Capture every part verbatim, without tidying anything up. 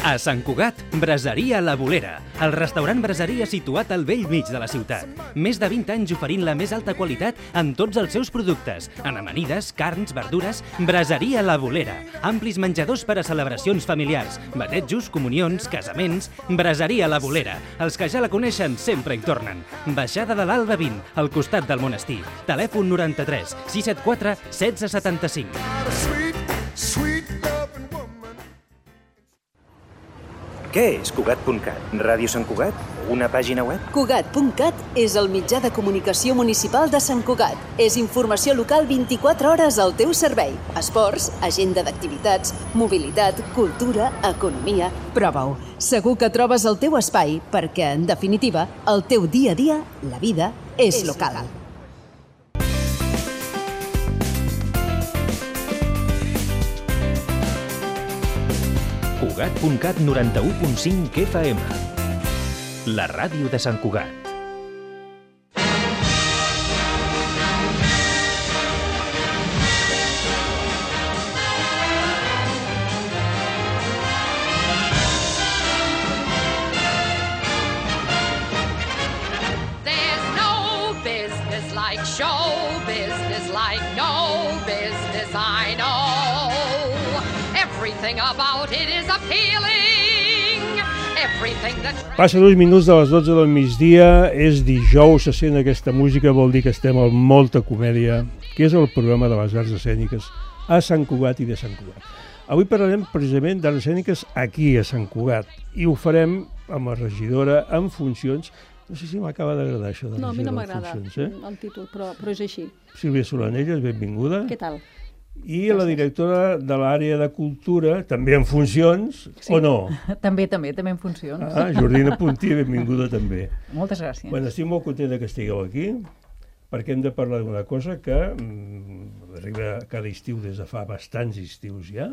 A Sant Cugat, Braseria La Bolera, el restaurant braseria situat al vell mig de la ciutat. Més de vint anys oferint la més alta qualitat en tots els seus productes, en amanides, carns, verdures. Braseria La Bolera, amplis menjadors per a celebracions familiars, batejos, comunions, casaments. Braseria La Bolera, els que ja la coneixen sempre hi tornen. Baixada de l'Alba vint, al costat del monestir. Telèfon noranta-tres sis set quatre setze setanta-cinc. Què és Cugat punt cat? Ràdio Sant Cugat? Una pàgina web? Cugat punt cat és el mitjà de comunicació municipal de Sant Cugat. És informació local vint-i-quatre hores al teu servei. Esports, agenda d'activitats, mobilitat, cultura, economia... Prova-ho. Segur que trobes el teu espai perquè, en definitiva, el teu dia a dia, la vida, és local. Cugat punt cat noranta-u punt cinc F M. La ràdio de Sant Cugat. There's no business like show business, like no business I know. Everything about it is appealing. Everything that... Passa dos minuts de les dotze del migdia, és dijous, se sent aquesta música, vol dir que estem amb molta comèdia, que és el programa de les arts escèniques a Sant Cugat i de Sant Cugat. Avui parlarem precisament d'arts escèniques aquí a Sant Cugat i ho farem amb la regidora en funcions. No sé si m'acaba d'agradar això de no, regidora en funcions. No, a mi no m'agrada eh? el títol, però, però és així. Sílvia Solanelles, benvinguda. Què tal? I la directora de l'àrea de cultura, també en funcions, sí. O no? També, també, també en funcions. Ah, Jordina Puntí, benvinguda també. Moltes gràcies. Bueno, estic molt contenta que estigueu aquí, perquè hem de parlar d'una cosa que mm, arriba cada estiu des de fa bastants estius ja,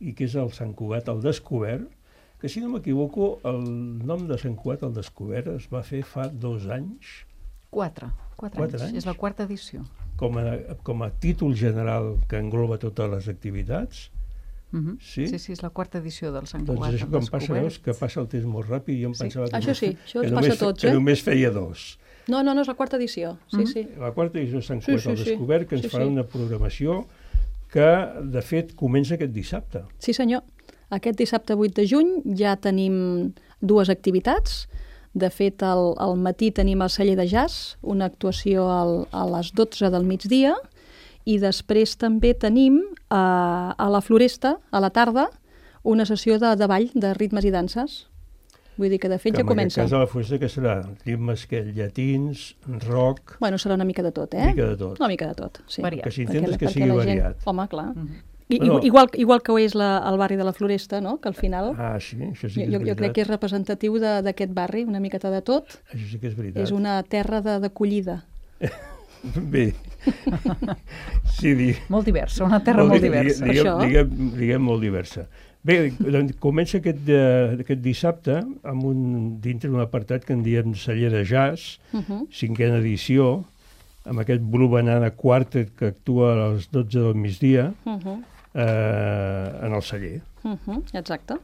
i que és el Sant Cugat al Descobert, que si no m'equivoco, el nom de Sant Cugat al Descobert es va fer fa dos anys. Quatre, quatre, quatre anys. anys. És la quarta edició. Com a, com a títol general que engloba totes les activitats. Uh-huh. Sí? sí, sí, és la quarta edició del Sant Doncs Cugat. Això que em passa, veus, que passa el temps molt ràpid i jo em sí. pensava que, això sí, això que, ens només, passa a tots, que eh? només feia dos. No, no, no, és la quarta edició, sí, uh-huh. sí. La quarta edició de Sant Sí, Cugat sí, al sí. Descobert, que ens Sí, farà sí. una programació que, de fet, comença aquest dissabte. Sí, senyor. Aquest dissabte vuit de juny ja tenim dues activitats. De fet, al, al matí tenim el celler de jazz, una actuació al, a les dotze del migdia, i després també tenim a, a la Floresta, a la tarda, una sessió de, de ball, de ritmes i danses. Vull dir que de fet que ja comença. En aquest cas a la Floresta que serà ritmes que llatins, rock... Bueno, serà una mica de tot, eh? Una mica de tot. Una mica de tot, sí. Variat. Que s'intenta que perquè sigui la gent... variat. Home, clar. Uh-huh. I, Bueno. igual, igual que ho és la, el barri de la Floresta, no? Que al final... Ah, sí, això sí que és jo, jo veritat. crec que és representatiu de- d'aquest barri, una miqueta de tot. Això sí que és veritat. És una terra de- d'acollida. Bé, sí, di... Molt diversa, una terra molt diversa. Diguem, Això. diguem, diguem molt diversa. Bé, doncs comença aquest, uh, aquest dissabte amb un, dintre d'un apartat que en diem celler de jazz, Uh-huh. cinquena edició, amb aquest Blue Banana Quartet que actua a les dotze del migdia Uh-huh. eh, en el celler. Uh-huh. Exacte.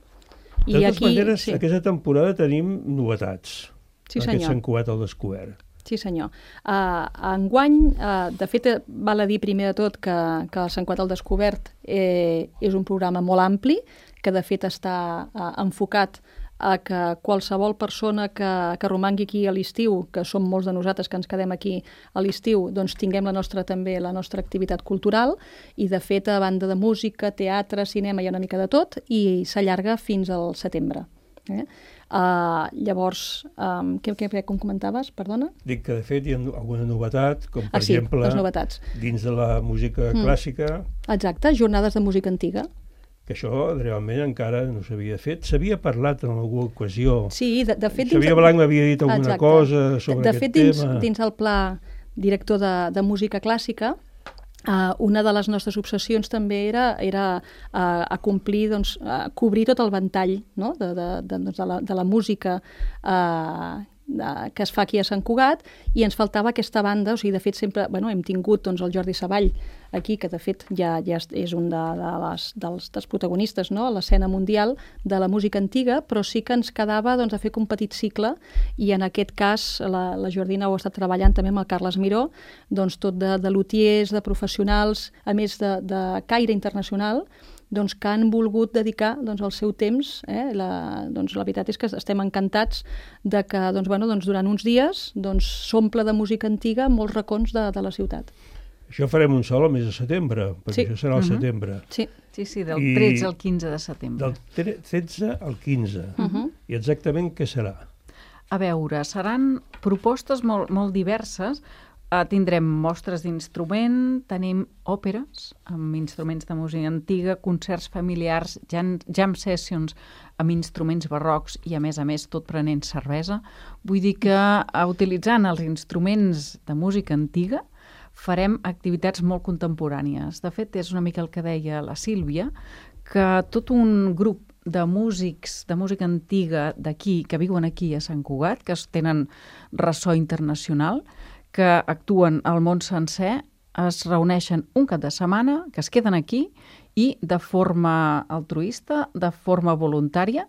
De totes maneres, sí. Aquesta temporada tenim novetats. Sí, en senyor. aquest Sant Cugat al Descobert. Sí, senyor. Uh, enguany, uh, de fet, val a dir primer de tot que, que el Sant Cugat al Descobert eh, és un programa molt ampli, que de fet està uh, enfocat a que qualsevol persona que, que romangui aquí a l'estiu, que som molts de nosaltres que ens quedem aquí a l'estiu, doncs tinguem la nostra també la nostra activitat cultural i de fet a banda de música, teatre, cinema, hi ha una mica de tot i s'allarga fins al setembre. Eh? Uh, llavors, um, què, què, com comentaves? Perdona? Dic que de fet hi ha alguna novetat, com per ah, sí, exemple les novetats. Dins de la música Mm. clàssica. Exacte, jornades de música antiga. Que això realment encara no s'havia fet. S'havia parlat en alguna ocasió. Sí, de, de fet... Xavier Blanc m'havia dit alguna Exacte. cosa sobre de, de aquest fet, dins, tema. dins el pla director de, de música clàssica, Uh, una de les nostres obsessions també era, era uh, a complir, doncs, uh, cobrir tot el ventall, no? de, de, de, doncs de, la, de la música uh, de, que es fa aquí a Sant Cugat, i ens faltava aquesta banda, o sigui, de fet sempre, bueno, hem tingut doncs, el Jordi Savall aquí, que de fet ja, ja és un de, de les, dels, dels protagonistes, no?, a l'escena mundial de la música antiga, però sí que ens quedava doncs, a fer un petit cicle, i en aquest cas la, la Jordina ho ha estat treballant també amb el Carles Miró, doncs tot de, de lutiers, de professionals, a més de, de caire internacional, doncs, que han volgut dedicar doncs, el seu temps. Eh? La, doncs, la veritat és que estem encantats de que doncs, bueno, doncs, durant uns dies doncs, s'omple de música antiga molts racons de, de la ciutat. Això farem un sol al mes de setembre, perquè sí. això serà al uh -huh. setembre. Sí. sí, sí, del I tretze al quinze de setembre. Del tretze al quinze. Uh -huh. I exactament què serà? A veure, seran propostes molt, molt diverses. Uh, tindrem mostres d'instrument, tenim òperes amb instruments de música antiga, concerts familiars, jam, jam sessions amb instruments barrocs i, a més a més, tot prenent cervesa. Vull dir que, uh, utilitzant els instruments de música antiga, farem activitats molt contemporànies. De fet, és una mica el que deia la Sílvia, que tot un grup de músics de música antiga d'aquí, que viuen aquí a Sant Cugat, que tenen ressò internacional, que actuen al món sencer, es reuneixen un cap de setmana, que es queden aquí i de forma altruista, de forma voluntària,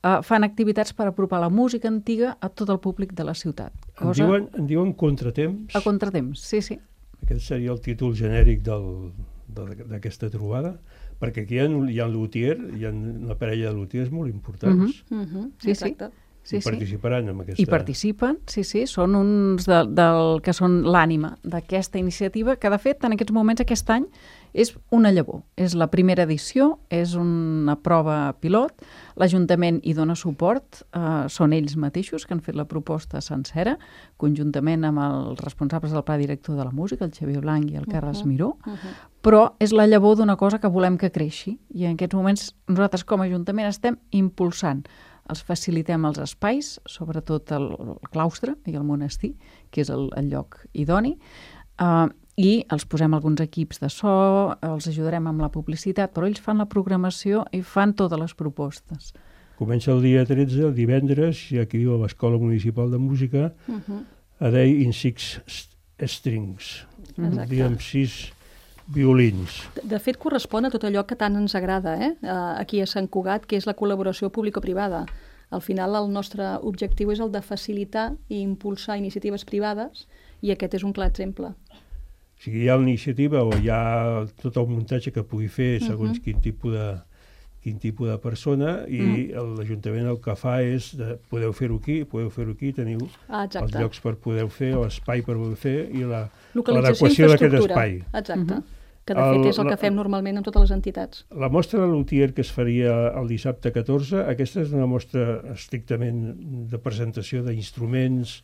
eh, fan activitats per apropar la música antiga a tot el públic de la ciutat. Cosa... En, diuen, en diuen Contratemps? A Contratemps, sí, sí. Aquest seria el títol genèric d'aquesta trobada, perquè aquí hi ha, hi ha luthier, hi ha una parella de luthiers molt importants. Uh -huh. Uh -huh. Sí, exacte. sí. Sí, I participaran sí. en aquesta... I participen, sí, sí, són uns de, del que són l'ànima d'aquesta iniciativa, que de fet en aquests moments, aquest any, és una llavor. És la primera edició, és una prova pilot, l'Ajuntament hi dona suport, eh, són ells mateixos que han fet la proposta sencera, conjuntament amb els responsables del Pla Director de la Música, el Xavier Blanc i el Carles uh -huh. Miró, uh -huh. però és la llavor d'una cosa que volem que creixi, i en aquests moments nosaltres com a Ajuntament estem impulsant. Els facilitem els espais, sobretot el, el claustre i el monestir, que és el, el lloc idoni, uh, i els posem alguns equips de so, els ajudarem amb la publicitat, però ells fan la programació i fan totes les propostes. Comença el dia tretze, el divendres, i aquí viu a l'Escola Municipal de Música, uh -huh. a Day in Six Strings, un dia amb sis violins. De, de fet, correspon a tot allò que tant ens agrada eh? aquí a Sant Cugat, que és la col·laboració público-privada. Al final, el nostre objectiu és el de facilitar i impulsar iniciatives privades, i aquest és un clar exemple. O sigui, hi ha l'iniciativa o hi ha tot el muntatge que pugui fer segons uh -huh. quin tipus de quin tipus de persona, i mm. l'Ajuntament el que fa és de, podeu fer-ho aquí, podeu fer-ho aquí, teniu ah, els llocs per poder fer, l'espai per poder fer i la, l'adequació d'aquest espai. Exacte, mm-hmm. que de fet el, és el que fem normalment amb totes les entitats. La mostra de luthier que es faria el dissabte catorze, aquesta és una mostra estrictament de presentació d'instruments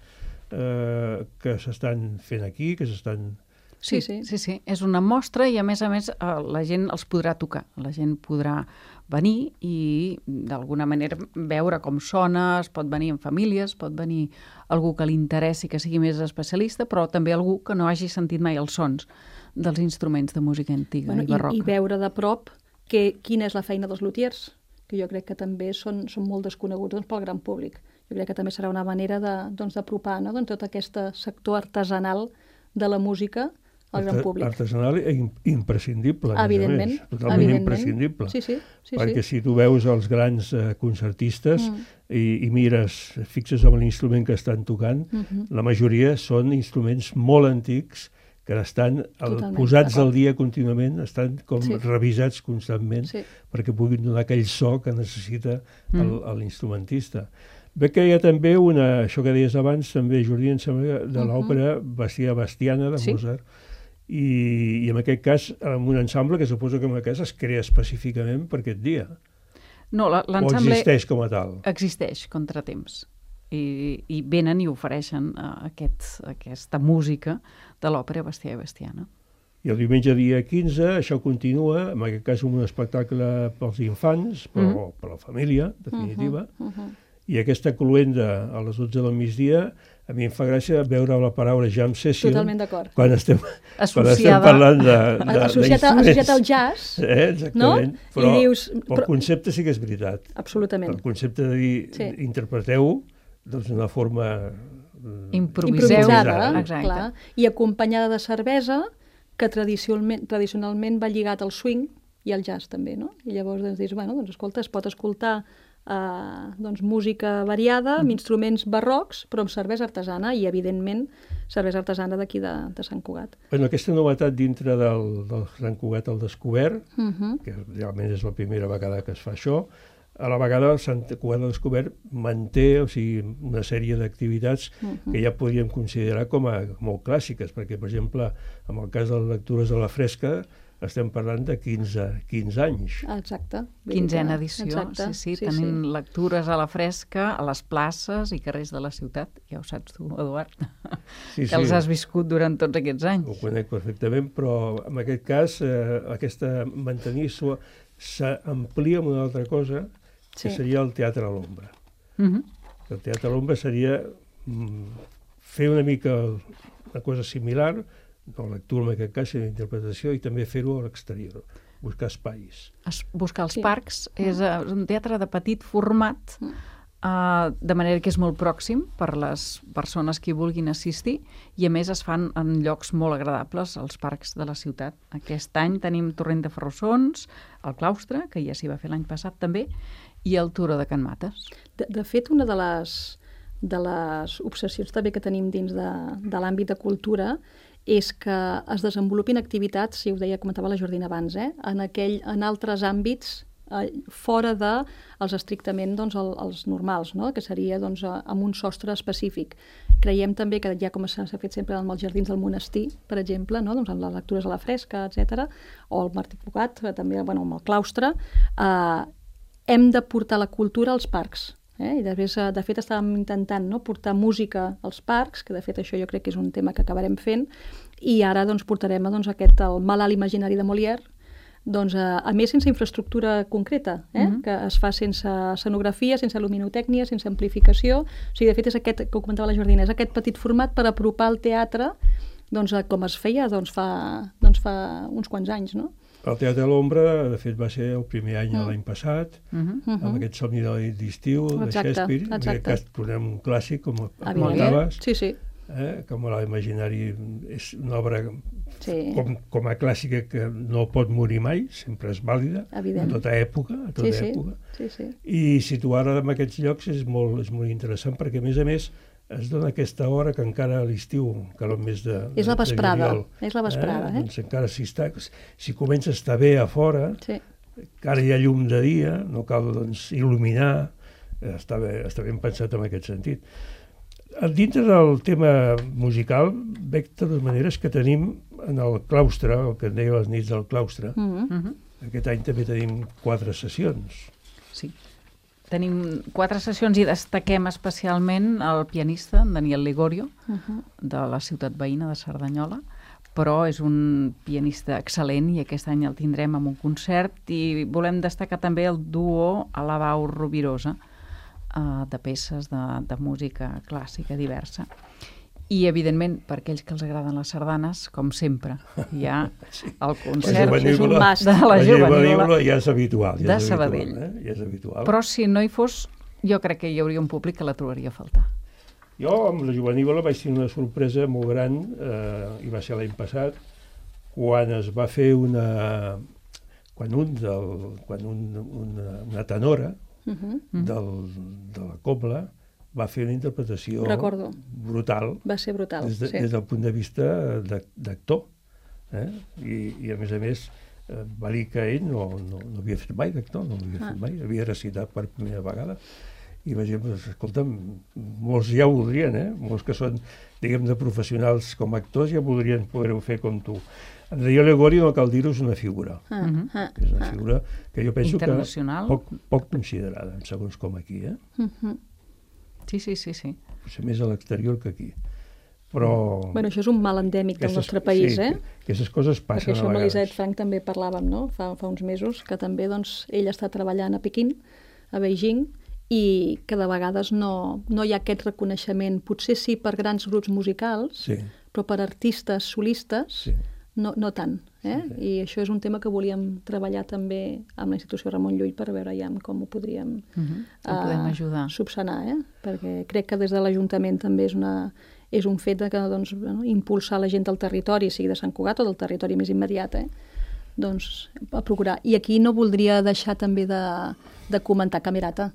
eh, que s'estan fent aquí, que s'estan... Sí, sí, sí, sí, és una mostra i a més a més la gent els podrà tocar, la gent podrà venir i d'alguna manera veure com sona, es pot venir en famílies, pot venir algú que li interessi, que sigui més especialista, però també algú que no hagi sentit mai els sons dels instruments de música antiga bueno, i barroca. I, I veure de prop que, quina és la feina dels luthiers, que jo crec que també són, són molt desconeguts doncs, pel gran públic. Jo crec que també serà una manera d'apropar doncs, doncs, tot aquest sector artesanal de la música al gran públic. Artesanal i imprescindible, a evidentment, més a més, totalment evidentment. imprescindible. Sí, sí, sí, perquè sí. si tu veus els grans eh, concertistes mm. i, i mires, fixes amb l'instrument que estan tocant, mm-hmm. la majoria són instruments molt antics que estan el, posats al dia contínuament, estan com sí. revisats constantment sí. perquè puguin donar aquell so que necessita mm. l'instrumentista. Veig que hi ha també una, això que deies abans, també, Jordi, em sembla, de l'òpera Bastia Bastiana, de sí. Mozart, i, i en aquest cas, amb un ensemble que suposo que en aquest cas es crea específicament per aquest dia. No, l'ensemble... O existeix com a tal? Existeix, Contratemps. I, i venen i ofereixen uh, aquest, aquesta música de l'òpera Bastia Bastiana. I el diumenge dia quinze això continua, en aquest cas un espectacle pels infants, però mm. per la família, en definitiva, uh -huh, uh -huh. i aquesta cluenda a les dotze del migdia, a mi em fa gràcia veure la paraula jam session. Totalment d'acord. Quan estem, quan estem parlant de... de associat, associat al jazz, eh, exactament. No? Però, I dius, però el concepte sí que és veritat. Absolutament. El concepte de dir, sí. interpreteu doncs, d'una forma Improviseu. improvisada, Exacte. clar, i acompanyada de cervesa, que tradicionalment, tradicionalment va lligat al swing i al jazz també, no? I llavors doncs, dius, bueno, doncs escolta, es pot escoltar eh, doncs, música variada, amb instruments barrocs, però amb cervesa artesana i, evidentment, cervesa artesana d'aquí de, de Sant Cugat. Bueno, aquesta novetat dintre del, del Sant Cugat al Descobert, Uh -huh. que realment és la primera vegada que es fa això, a la vegada el Sant Cugat al Descobert manté, o sigui, una sèrie d'activitats uh -huh. que ja podríem considerar com a molt clàssiques, perquè, per exemple, en el cas de les lectures a la fresca, estem parlant de quinze, quinze anys. Exacte. Quinzena edició, Exacte. sí, sí, sí, tenim sí. lectures a la fresca, a les places i carrers de la ciutat, ja ho saps tu, Eduard, Sí, que els has viscut durant tots aquests anys. Ho conec perfectament, però en aquest cas eh, aquesta mantenir-s'ho s'amplia amb una altra cosa, que Sí. seria el teatre a l'ombra. Uh-huh. El teatre a l'ombra seria mm, fer una mica una cosa similar, no lectura en aquest cas, sinó interpretació, i també fer-ho a l'exterior, buscar espais. Es, buscar els Sí. parcs, és eh, un teatre de petit format, Mm. Uh, de manera que és molt pròxim per les persones que hi vulguin assistir i a més es fan en llocs molt agradables als parcs de la ciutat. Aquest any tenim Torrent de Ferrossons, el Claustre, que ja s'hi va fer l'any passat també, i el Turó de Can Mates. De, de fet, una de les, de les obsessions també que tenim dins de, de l'àmbit de cultura és que es desenvolupin activitats, si ho deia, comentava la Jordina abans, eh, en, aquell, en altres àmbits eh, fora de els estrictament doncs, el, els normals, no? Que seria doncs, amb un sostre específic. Creiem també que ja com s'ha fet sempre amb els jardins del monestir, per exemple, no? Doncs amb les lectures a la fresca, etcètera, o el Martí Cugat, també bueno, amb el claustre, eh, hem de portar la cultura als parcs. Eh? I després, de fet, estàvem intentant no? portar música als parcs, que de fet això jo crec que és un tema que acabarem fent, i ara doncs, portarem doncs, aquest, el malalt imaginari de Molière, doncs, a, a més sense infraestructura concreta, eh? Uh-huh. Que es fa sense escenografia, sense luminotècnia, sense amplificació. O sigui, de fet, és aquest, que ho comentava la Jordina, és aquest petit format per apropar el teatre doncs, com es feia doncs, fa, doncs, fa uns quants anys, no? El Teatre a l'Ombra, de fet, va ser el primer any Mm. l'any passat, Uh-huh. Uh-huh. amb aquest somni de d'estiu de Exacte, Shakespeare. En aquest exacte. cas tornem un clàssic, com Evidentment. comentaves, Sí, sí. eh? com l'imaginari és una obra Sí. com, com a clàssica que no pot morir mai, sempre és vàlida, Evident. a tota època, a tota Sí, sí. època. Sí, sí. I situar-la en aquests llocs és molt, és molt interessant, perquè a més a més es dona aquesta hora que encara a l'estiu, encara el mes de, És la de vesprada, juliol, és la vesprada, eh? Doncs encara si, està, si comença a estar bé a fora, Sí. encara hi ha llum de dia, no cal doncs, il·luminar, eh, està, bé, està ben pensat en aquest sentit. Dintre del tema musical, veig de totes maneres que tenim en el claustre, el que en deia les nits del claustre, Mm-hmm. Uh-huh. aquest any també tenim quatre sessions. Sí. Tenim quatre sessions i destaquem especialment el pianista, en Daniel Ligorio, Uh-huh. de la ciutat veïna de Cerdanyola, però és un pianista excel·lent i aquest any el tindrem amb un concert i volem destacar també el duo Alabau Rovirosa, eh, de peces de, de música clàssica diversa. I, evidentment, per aquells que els agraden les sardanes, com sempre, hi ha el concert La és un jovenívola- must. de la la jovenívola jovenívola ja és habitual. Ja de és habitual, Sabadell. Eh? Ja és habitual. Però si no hi fos, jo crec que hi hauria un públic que la trobaria a faltar. Jo amb la jovenívola vaig tenir una sorpresa molt gran, eh, i va ser l'any passat, quan es va fer una... quan un, del, quan un, una, una tenora Uh-huh. del, de la cobla va fer una interpretació Recordo. brutal Va ser brutal, des, de, sí. des del punt de vista de- d'actor. Eh? I, I a més a més eh, va dir que ell no, no, no havia fet mai d'actor, no havia Ah. fet mai, havia recitat per primera vegada. I vaig dir, pues, escolta'm, molts ja ho voldrien, eh? Molts que són, diguem, de professionals com a actors ja voldrien poder-ho fer com tu. En Daniel Ligorio, no cal dir-ho, és una figura. Ah, Mhm. ah, És una ah. figura que jo penso que Internacional. poc, poc considerada, en segons com aquí, eh? Uh-huh. Sí, sí, sí, sí. Potser més a l'exterior que aquí. Però... Bueno, això és un mal endèmic del aquestes- nostre país, sí, eh? Aquestes coses passen Perquè això a amb vegades. l'Elisabet Frank també parlàvem, no? Fa, fa uns mesos, que també doncs, ell està treballant a Pequín, a Beijing, i que de vegades no, no hi ha aquest reconeixement, potser sí per grans grups musicals, Sí, però per artistes solistes sí. no, no tant. Eh? Sí, sí. I això és un tema que volíem treballar també amb la institució Ramon Llull per veure ja com ho podríem, uh -huh. uh, podem ajudar. subsanar, eh? Perquè crec que des de l'Ajuntament també és, una, és un fet de que, doncs, bueno, impulsar la gent del territori, sigui de Sant Cugat o del territori més immediat, eh? Doncs a procurar. I aquí no voldria deixar també de, de comentar Camerata,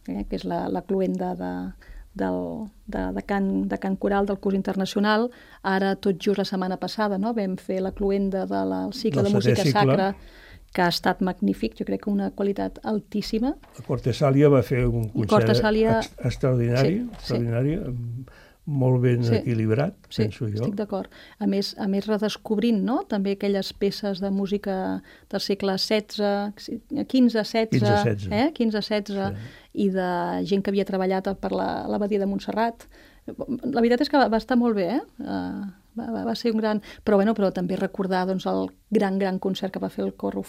eh? que és la, la cluenda de... Del, de, de, can, de Can Coral del curs internacional. Ara, tot just la setmana passada, no? vam fer la cluenda del cicle de música cicle. sacra, que ha estat magnífic, jo crec que una qualitat altíssima. La Cortesàlia va fer un concert Cortesàlia... ex extraordinari, sí, extraordinari sí. molt ben sí. equilibrat, sí, penso jo. Estic d'acord. A més, a més redescobrint, no? també aquelles peces de música del segle setze, quinze, setze, eh? quinze, setze, sí. i de gent que havia treballat per l'abadia la, de Montserrat. La veritat és que va, va estar molt bé, eh? Uh, va, va ser un gran... Però, bueno, però també recordar doncs, el gran, gran concert que va fer el cor uh,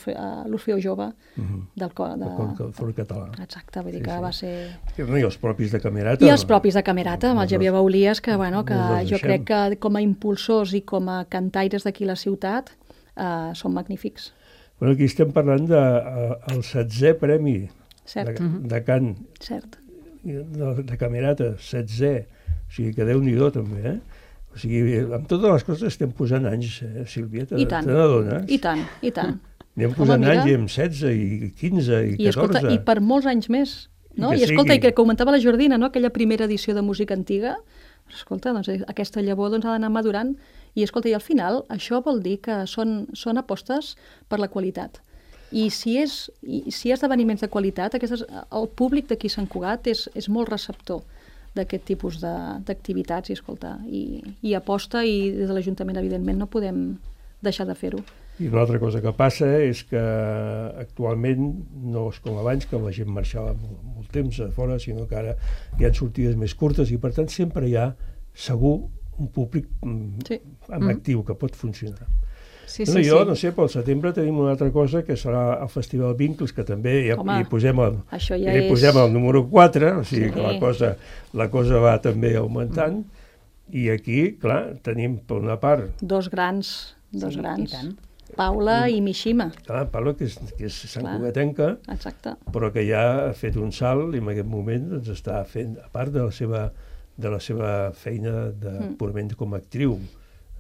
l'Orfeó Jove uh -huh. del cor... De... El cor, cor català. Exacte, vull dir sí, que sí. va ser... No, I els propis de Camerata. I els propis de Camerata, amb el Xavier Baulies, que, bueno, que jo crec que com a impulsors i com a cantaires d'aquí la ciutat uh, són magnífics. Bueno, aquí estem parlant del de, setzè premi Cert. de, de cant Cert. De, de Camerata, setzè. O sigui que Déu-n'hi-do també, eh? O sigui, amb totes les coses estem posant anys, eh, Sílvia? Te n'adones? I tant, i tant. Anem posant Home, anys i amb setze, i quinze, i catorze. I, escolta, i per molts anys més. No? I, I escolta, sigui... i que comentava la Jordina, no? Aquella primera edició de música antiga, escolta, doncs, aquesta llavor doncs, ha d'anar madurant. I escolta, i al final això vol dir que són, són apostes per la qualitat. I si és, i si hi ha esdeveniments de qualitat, aquestes, el públic d'aquí a Sant Cugat és, és molt receptor d'aquest tipus d'activitats i, escolta, i, i aposta, i des de l'Ajuntament, evidentment, no podem deixar de fer-ho. I una altra cosa que passa és que actualment no és com abans, que la gent marxava molt, molt temps a fora, sinó que ara hi ha sortides més curtes i, per tant, sempre hi ha, segur, un públic sí. amb mm. actiu que pot funcionar. Sí, bueno, sí, jo, sí. no sé, pel setembre tenim una altra cosa que serà el Festival Vincles, que també ja, Home, hi posem el, ja hi és... posem el número quatre, o sigui sí. que la cosa, la cosa va també augmentant, mm. i aquí, clar, tenim per una part... Dos grans, dos sí, grans. Paula mm. i Mishima. Clar, Paula, que és, que és santcugatenca, però que ja ha fet un salt i en aquest moment doncs, està fent, a part de la seva, de la seva feina de, mm. purament com a actriu,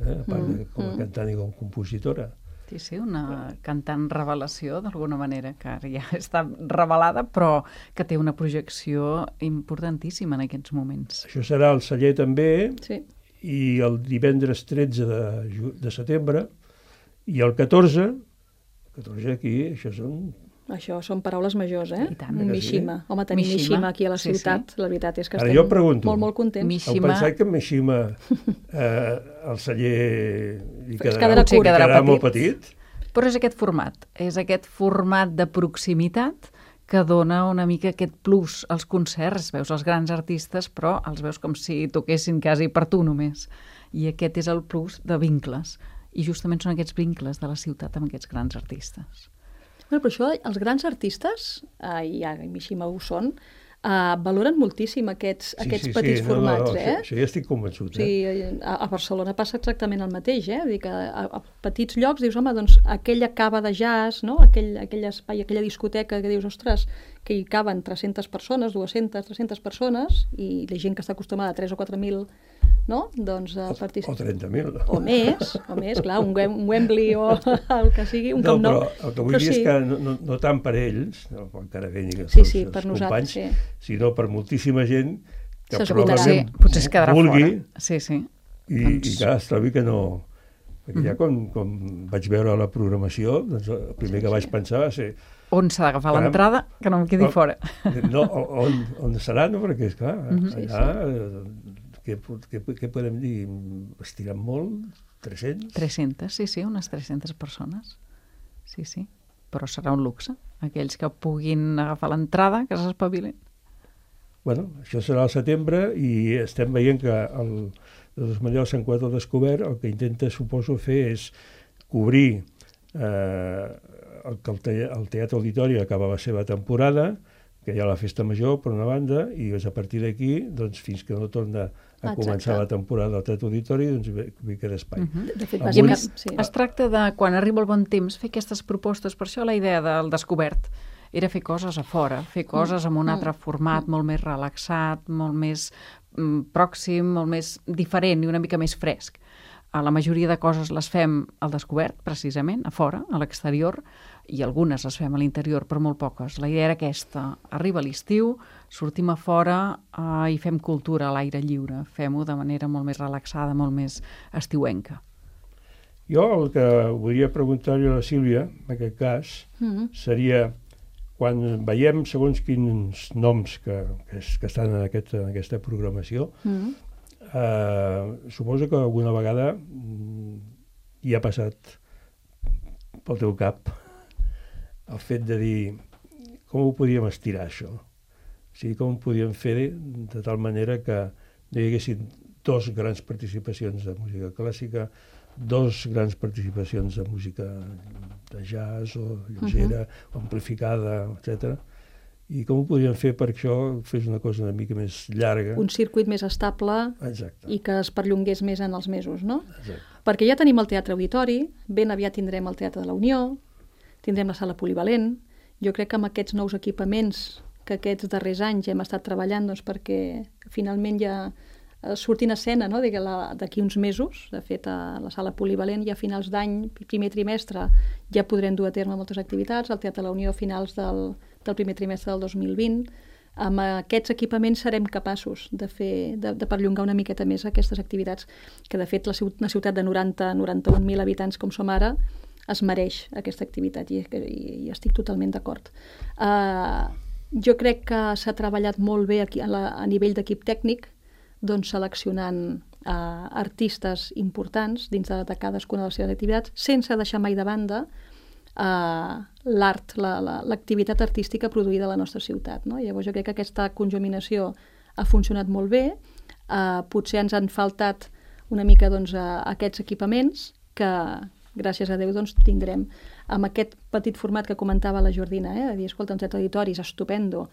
eh? a part de com a cantant i com a compositora. Sí, sí, una cantant revelació, d'alguna manera, que ara ja està revelada, però que té una projecció importantíssima en aquests moments. Això serà al Celler també, sí. i el divendres tretze de, de setembre, i el catorze, catorze aquí, això són... Això són paraules majors, eh? I tant. Mishima. Home, tenir Mishima, Mishima aquí a la sí, ciutat, sí. La veritat és que Ara estem pregunto, molt, molt contents. Mishima... Heu pensat que Mishima eh, el celler li quedarà, quedarà, quedarà, quedarà quedarà petit. molt petit? Però és aquest format, és aquest format de proximitat que dona una mica aquest plus als concerts. Veus els grans artistes, però els veus com si toquessin quasi per tu només. I aquest és el plus de vincles. I justament són aquests vincles de la ciutat amb aquests grans artistes. Bueno, però això, els grans artistes, eh, i a Mishima ho són, eh, valoren moltíssim aquests, sí, aquests sí, petits sí. formats. No, no, eh? això, això ja estic convençut. Eh? Sí, a, a Barcelona passa exactament el mateix. Eh? Vull dir que a, a petits llocs dius, home, doncs aquella cava de jazz, no? aquell, aquell espai, aquella discoteca que dius, ostres, que hi caben tres-centes persones, dues-centes, tres-centes persones, i la gent que està acostumada a tres o quatre mil, no? Doncs a participar. O trenta mil. O més, o més, clar, un, un Wembley o el que sigui, un no, Camp Nou. Però el que vull dir sí. és que no, no, no tant per ells, no, encara vengui els, sí, sí, els per companys, nosaltres, sí. sinó per moltíssima gent que probablement sí, potser es quedarà vulgui fora. Sí, sí. I, doncs... i clar, es trobi que no... Perquè ja quan, quan vaig veure la programació, doncs el primer sí, que vaig sí. pensar va ser... On s'ha d'agafar l'entrada, que no em quedi no, fora. No, on, on serà, no? Perquè, esclar, uh-huh. allà... Sí, sí. Què, què, què podem dir? Estirant molt? tres-cents? tres-centes, sí, sí, unes tres-centes persones. Sí, sí. Però serà un luxe. Aquells que puguin agafar l'entrada, que s'espavilin. Bueno, això serà al setembre i estem veient que el, el Manlleu Sant Cugat al Descobert el que intenta, suposo, fer és cobrir eh, el, que el, te, el Teatre Auditori acaba la seva temporada, que hi ha la festa major, per una banda, i és a partir d'aquí, doncs, fins que no torna a Exacte. començar la temporada del Teatre Auditori, doncs hi queda espai. Uh-huh. De fet, Avui... bàsicament, sí. Es tracta de, quan arriba el bon temps, fer aquestes propostes. Per això la idea del descobert era fer coses a fora, fer coses amb un altre format, molt més relaxat, molt més mm, pròxim, molt més diferent i una mica més fresc. A la majoria de coses les fem al descobert, precisament, a fora, a l'exterior, i algunes les fem a l'interior, però molt poques. La idea era aquesta. Arriba l'estiu, sortim a fora eh, i fem cultura a l'aire lliure. Fem-ho de manera molt més relaxada, molt més estiuenca. Jo el que volia preguntar-li a la Sílvia, en aquest cas, Mm-hmm. seria quan veiem segons quins noms que, que, es, que estan en, aquest, en aquesta programació, Mm-hmm. eh, suposo que alguna vegada mm, hi ha passat pel teu cap el fet de dir com ho podíem estirar, això? O sigui, com ho podíem fer de, de tal manera que no hi haguessin dos grans participacions de música clàssica, dos grans participacions de música de jazz o lleugera, uh-huh. o amplificada, etcètera. I com ho podíem fer perquè això fes una cosa una mica més llarga. Un circuit més estable. Exacte. I que es perllongués més en els mesos, no? Exacte. Perquè ja tenim el Teatre Auditori, ben aviat tindrem el Teatre de la Unió, tindrem la sala polivalent. Jo crec que amb aquests nous equipaments que aquests darrers anys hem estat treballant, doncs, perquè finalment ja surtin a escena, no? D'aquí uns mesos. De fet, a la sala polivalent ja a finals d'any, primer trimestre, ja podrem dur a terme moltes activitats. El Teatre de la Unió a finals del, del primer trimestre del dos mil vint. Amb aquests equipaments serem capaços de, fer, de, de perllongar una miqueta més aquestes activitats, que de fet la ciutat, una ciutat de noranta a noranta-un mil habitants com som ara es mereix aquesta activitat i, i, i estic totalment d'acord. Uh, jo crec que s'ha treballat molt bé aquí, a, la, a nivell d'equip tècnic, doncs seleccionant uh, artistes importants dins de, de cadascuna de les seves activitats, sense deixar mai de banda uh, l'art, la, la, l'activitat artística produïda a la nostra ciutat. No? Llavors jo crec que aquesta conjuminació ha funcionat molt bé. Uh, potser ens han faltat una mica doncs, uh, aquests equipaments que, gràcies a Déu, doncs, tindrem amb aquest petit format que comentava la Jordina, eh? de dir, escolta, un teatre auditori és estupendo,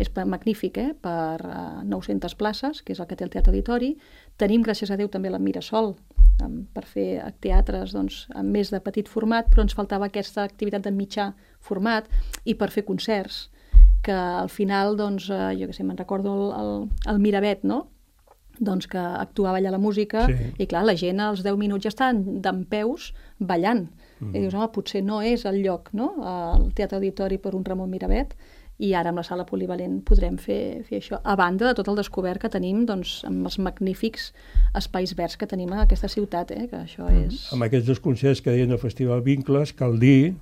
és magnífic, eh? per uh, nou-centes places, que és el que té el Teatre Auditori. Tenim, gràcies a Déu, també la Mirasol, um, per fer teatres doncs, amb més de petit format, però ens faltava aquesta activitat de mitjà format i per fer concerts, que al final, doncs, uh, jo què sé, me'n recordo el, el, el Miravet, no?, doncs que actuava allà la música, sí. I clar, la gent als deu minuts ja estan dempeus ballant. Mm. I dius, home, potser no és el lloc, no?, el Teatre Auditori per un Ramon Miravet, i ara amb la sala polivalent podrem fer, fer això. A banda de tot el descobert que tenim, doncs, amb els magnífics espais verds que tenim a aquesta ciutat, eh? Que això mm. és... Amb aquests dos concerts que deien del Festival Vincles, cal dir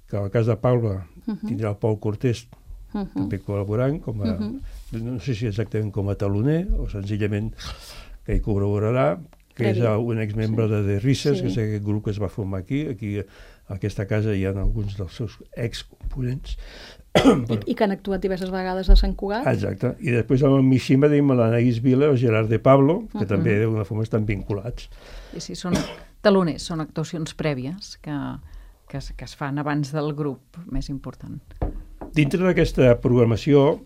que al cas de Palma uh-huh. tindrà el Pol Cortés uh-huh. també col·laborant, com a, uh-huh. no sé si exactament com a taloner o senzillament que hi col·laborarà, que Previ. És un exmembre sí. de The Risses, sí. que és aquest grup que es va formar aquí. Aquí a aquesta casa hi ha alguns dels seus excomponents. I, I que han actuat diverses vegades a Sant Cugat. Exacte. I després amb el Mishima tenim l'Anaïs Vila o Gerard de Pablo, que uh-huh. també d'alguna forma estan vinculats. I sí, són taloners, són actuacions prèvies que, que, es, que es fan abans del grup més important. Dintre d'aquesta programació,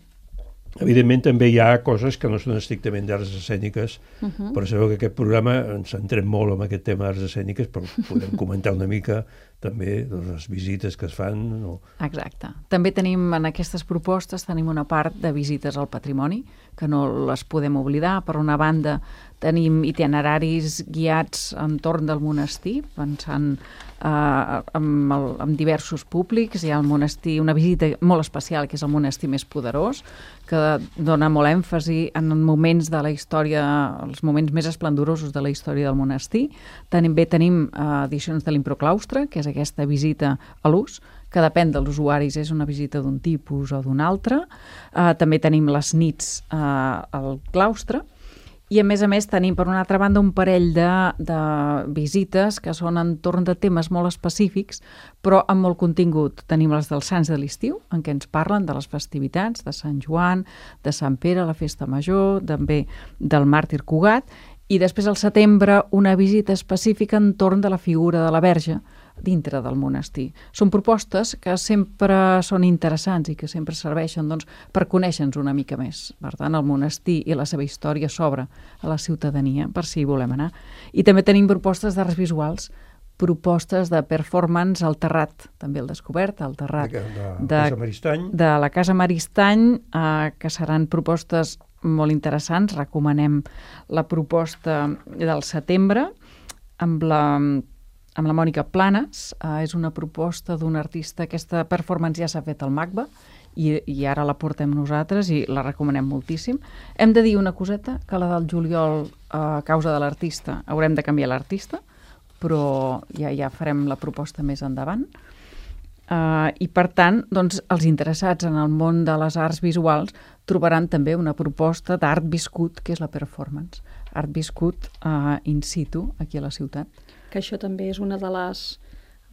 evidentment també hi ha coses que no són estrictament d'arts escèniques, uh-huh. però sabeu que aquest programa ens centrem molt en aquest tema d'arts escèniques, però podem comentar una mica també doncs, les visites que es fan. O... Exacte. També tenim en aquestes propostes tenim una part de visites al patrimoni, que no les podem oblidar. Per una banda, tenim itineraris guiats entorn del monestir, pensant eh, amb, el, amb diversos públics. Hi ha el monestir, una visita molt especial, que és el monestir més poderós, que dona molt èmfasi en moments de la història, els moments més esplendorosos de la història del monestir. També tenim eh, edicions de l'Improclaustre, que és aquesta visita a l'ús, que depèn dels usuaris, és una visita d'un tipus o d'un altre. Uh, també tenim les nits uh, al claustre, i a més a més tenim, per una altra banda, un parell de, de visites que són entorn de temes molt específics, però amb molt contingut. Tenim les dels Sants de l'Estiu, en què ens parlen de les festivitats de Sant Joan, de Sant Pere, la Festa Major, també del Màrtir Cugat, i després al setembre una visita específica entorn de la figura de la Verge, dintre del monestir. Són propostes que sempre són interessants i que sempre serveixen doncs, per conèixer-nos una mica més. Per tant, el monestir i la seva història s'obre a la ciutadania, per si hi volem anar. I també tenim propostes d'arts visuals, propostes de performance al Terrat, també el descobert, al Terrat de, de, de, Casa Maristany. de la Casa Maristany, eh, que seran propostes molt interessants. Recomanem la proposta del setembre amb la, amb la Mònica Planes. Eh, és una proposta d'un artista, aquesta performance ja s'ha fet al MACBA i, i ara la portem nosaltres i la recomanem moltíssim. Hem de dir una coseta, que la del juliol, eh, a causa de l'artista, haurem de canviar l'artista, però ja, ja farem la proposta més endavant. Uh, I, per tant, doncs, els interessats en el món de les arts visuals trobaran també una proposta d'art viscut, que és la performance. Art viscut uh, in situ, aquí a la ciutat. Que això també és una de les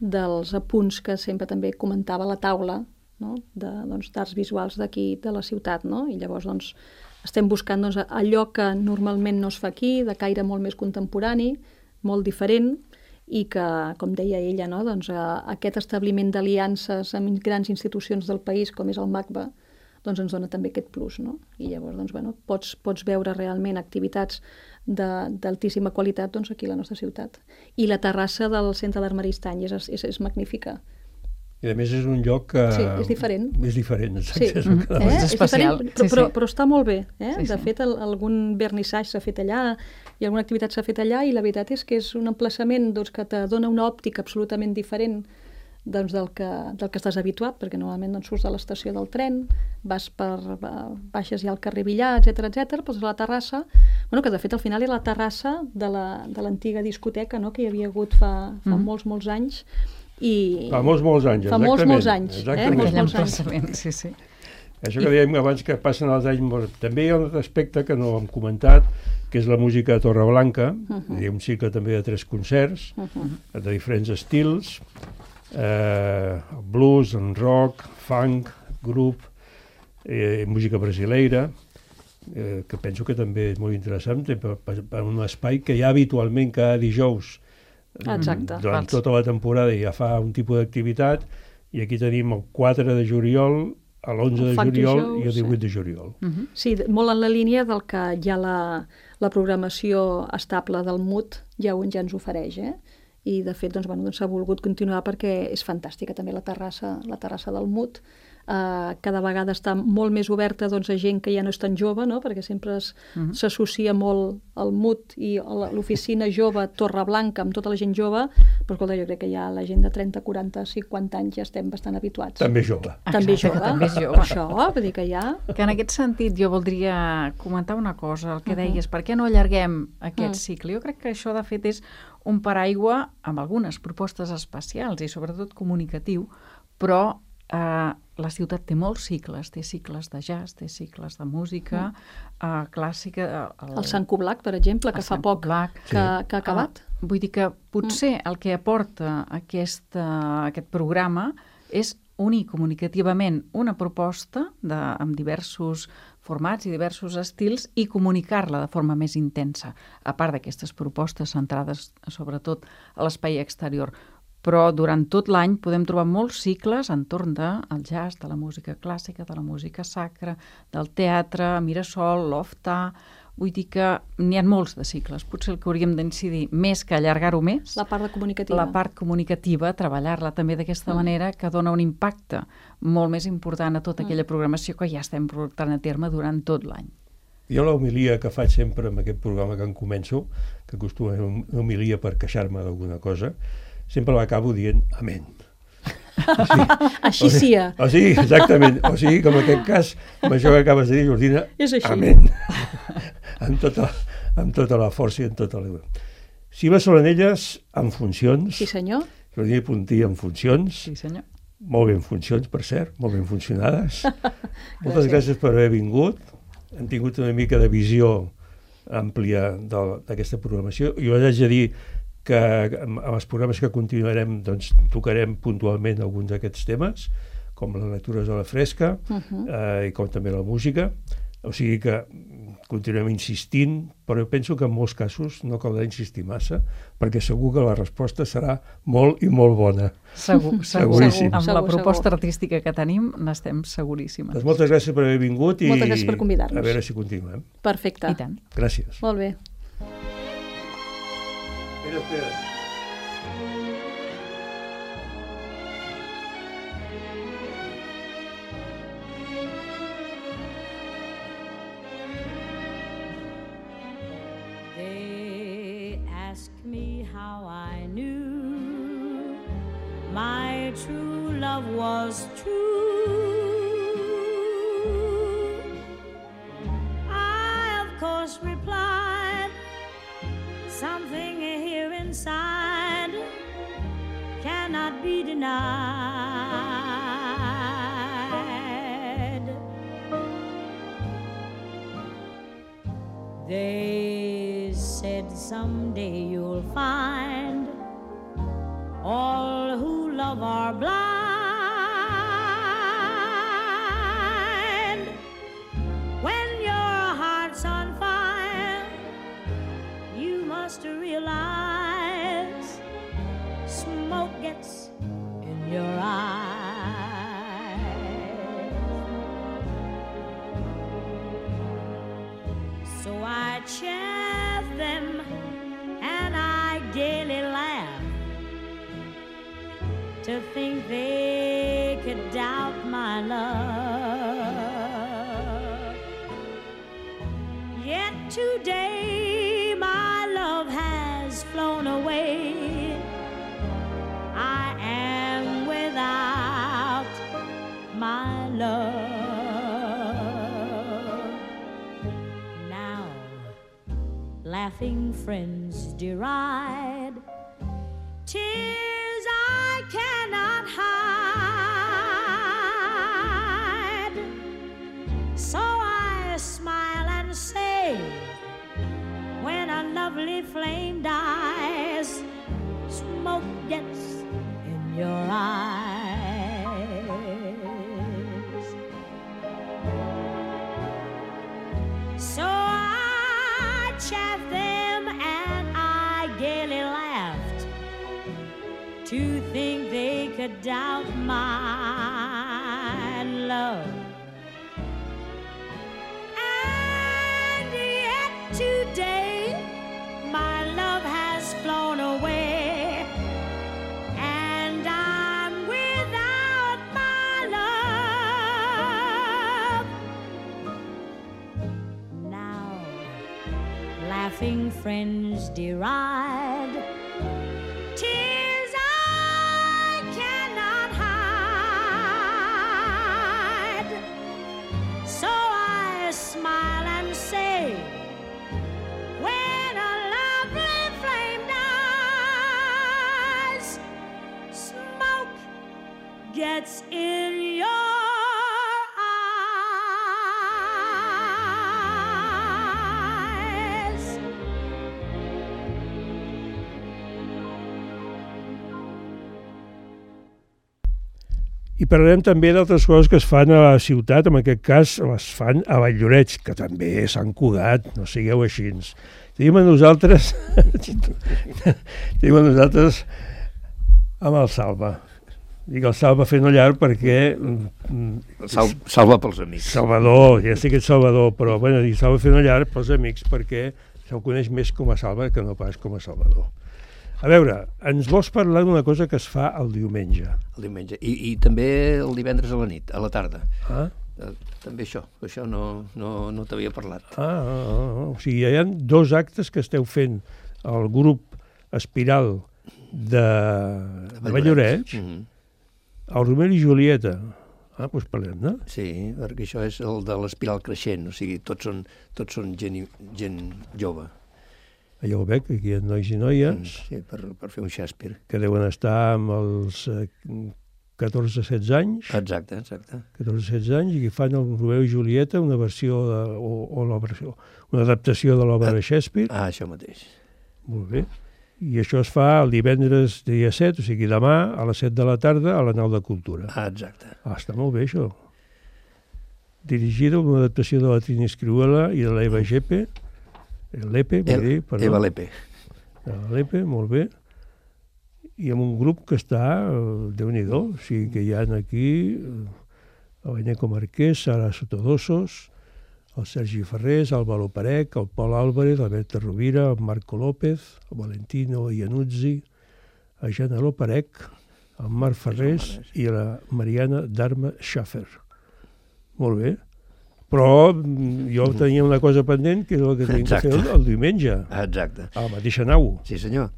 dels apunts que sempre també comentava a la taula, no? de, doncs, d'arts visuals d'aquí, de la ciutat, no? I llavors, doncs, estem buscant doncs, allò que normalment no es fa aquí, de caire molt més contemporani, molt diferent, i que, com deia ella, no? doncs, eh, aquest establiment d'aliances amb grans institucions del país, com és el MACBA, doncs ens dona també aquest plus, no? I llavors doncs, bueno, pots, pots veure realment activitats de, d'altíssima qualitat doncs, aquí a la nostra ciutat. I la terrassa del Centre d'Art Maristany és, és, és magnífica. I a més és un lloc que... Sí, és diferent. És diferent, exacte. Sí. És, el que Eh? És especial. És diferent, però, Sí, sí. però, però està molt bé. Eh? Sí, de sí. fet, el, algun vernissatge s'ha fet allà i alguna activitat s'ha fet allà i la veritat és que és un emplaçament doncs, que te dona una òptica absolutament diferent doncs, del, que, del que estàs habituat, perquè normalment doncs, surts de l'estació del tren, vas per, baixes ja al carrer Villar, etcètera, etcètera, doncs a la terrassa, bueno, que de fet al final era la terrassa de, la, de l'antiga discoteca, no?, que hi havia hagut fa, fa mm. molts, molts anys. I fa molts, molts anys, fa exactament. molts, molts anys. Exactament. Eh? Molts, Aquell molts anys. emplaçament, sí, sí. Això que dèiem abans que passen els anys... També hi ha un altre aspecte que no hem comentat, que és la música de Torreblanca. Uh -huh. Hi ha un cicle també de tres concerts, uh -huh. de diferents estils, eh, blues, en rock, funk, grup, eh, música brasileira, eh, que penso que també és molt interessant, per, per, per un espai que hi ha habitualment cada dijous. Exacte. Durant tota la temporada ja fa un tipus d'activitat, i aquí tenim el quatre de juliol, l'onze de juliol dijous, i el divuit sí. de juliol. Uh -huh. Sí, molt en la línia del que ja la, la programació estable del M U T ja, ja ens ofereix, eh? I de fet doncs, bueno, doncs s'ha volgut continuar perquè és fantàstica també la terrassa, la terrassa del M U T. Uh, cada vegada està molt més oberta doncs, a gent que ja no és tan jove, no? Perquè sempre es, uh -huh. s'associa molt el M U T i l'oficina jove Torreblanca amb tota la gent jove, però escolta, jo crec que ja la gent de trenta, quaranta, cinquanta anys ja estem bastant habituats. També jove. També Exacte, jove. també és jove. Això, vull dir que ja... Que en aquest sentit jo voldria comentar una cosa, el que Uh-huh. deies, per què no allarguem aquest Uh. cicle? Jo crec que això de fet és un paraigua amb algunes propostes especials i sobretot comunicatiu, però eh, la ciutat té molts cicles, té cicles de jazz, té cicles de música uh. eh, clàssica. El, el Sant Cublac, per exemple, que fa poc Cublac. que, que ha acabat. Uh, vull dir que potser el que aporta aquest, uh, aquest programa és unir comunicativament una proposta de, amb diversos formats i diversos estils i comunicar-la de forma més intensa, a part d'aquestes propostes centrades sobretot a l'espai exterior. Però durant tot l'any podem trobar molts cicles entorn del jazz, de la música clàssica, de la música sacra, del teatre, Mirasol, l'Ofta. Vull dir que n'hi ha molts de cicles. Potser el que hauríem d'incidir més que allargar-ho més, La part de comunicativa. la part comunicativa, treballar-la també d'aquesta mm. manera, que dona un impacte molt més important a tota aquella programació que ja estem portant a terme durant tot l'any. Jo l'homilia que faig sempre amb aquest programa que en començo, que acostuma a ser una homilia per queixar-me d'alguna cosa, sempre l'acabo dient amén. O sigui, Així sia. O sigui, exactament. O sigui, com en aquest cas, amb això que acabes de dir, Jordina, És així. amén. amb, tota, amb tota la força i amb tota la... Cimes Solanelles en funcions. Sí, senyor. Jordina Puntí en funcions. Sí, senyor. Molt ben funcions, per cert, molt ben funcionades. Moltes gràcies per haver vingut. Hem tingut una mica de visió àmplia de- d'aquesta programació. Jo us haig de dir que amb els programes que continuarem doncs, tocarem puntualment alguns d'aquests temes, com les lectures a la fresca, Uh -huh. eh, i com també la música. O sigui que continuem insistint, però jo penso que en molts casos no caldrà insistir massa, perquè segur que la resposta serà molt i molt bona. Segur, segur. Seguríssim. Amb Segur, la proposta segur. artística que tenim n'estem seguríssimes. Doncs moltes gràcies per haver vingut i Moltes gràcies per convidar-nos. a veure si continuem. Perfecte. I tant. Gràcies. Molt bé. Espera, espera. They ask me how I knew my true love was true. I, of course, replied, something here inside cannot be denied. They said someday you'll find all who love are blind. When your heart's on fire, you must realize smoke gets in your eyes. So I chaff them and I gaily laugh to think they could doubt my love. Yet today my love has flown away. I am without my love. Now laughing friends deride tears I cannot hide. So I smile and say, when a lovely flame dies, smoke gets in your eyes. So I chaff them and I gaily laughed to think they could doubt my love. And yet today my love has flown away, and I'm without my love. Now laughing friends deride tears I cannot hide. So I smile and say, when a lovely flame dies, smoke gets in your eyes. I parlarem també d'altres coses que es fan a la ciutat, en aquest cas les fan a Valldoreix, que també és Sant Cugat, no sigueu així. Tenim a nosaltres, tenim a nosaltres amb el Salva. Dic el Salva fent llarg perquè... Sal, salva pels amics. Salvador, ja sé que ets Salvador, però bueno, dic Salva fent llarg pels amics perquè se'l coneix més com a Salva que no pas com a Salvador. A veure, ens vols parlar d'una cosa que es fa el diumenge? El diumenge. I, i també el divendres a la nit, a la tarda. Ah? També això, això no, no, no t'havia parlat. Ah, ah, ah, o sigui, hi ha dos actes que esteu fent al grup Espiral de, de Valldoreix, mm-hmm. el Romeo i Julieta. Ah, doncs parlem, no? Sí, perquè això és el de l'espiral creixent, o sigui, tots són, tots són gent, gent jove. Allò ho veig, aquí hi ha nois i noies. Sí, per, per fer un Shakespeare. Que deuen estar amb els eh, catorze setze anys. Exacte, exacte. catorze setze anys, i que fan el Romeo i Julieta, una versió, de, o, o la versió, una adaptació de l'obra de Shakespeare. Ah, això mateix. Molt bé. I això es fa el divendres dia set, o sigui demà, a les set de la tarda, a la Nau de Cultura. Ah, exacte. Ah, està molt bé, això. dirigida una adaptació de la Trini Scriuela i de l'Eva Lepe, Lepe, vull dir, perdó. Eva Lepe. Eva Lepe, molt bé. I amb un grup que està, Déu-n'hi-do, o sigui que hi ha aquí el Beneco Marquès, Sara Sotodosos, el Sergi Ferrés, el Való Parec, el Pol Álvarez, el Berta Rovira, el Marco López, el Valentino Iannuzzi, el Jana Loparec, el Marc Ferrés i la Mariana Dharma Schaffer. Molt bé. Però jo tenia una cosa pendent, que és el que tenim que fer el, el diumenge. Exacte. A la mateixa nau. Sí, senyor.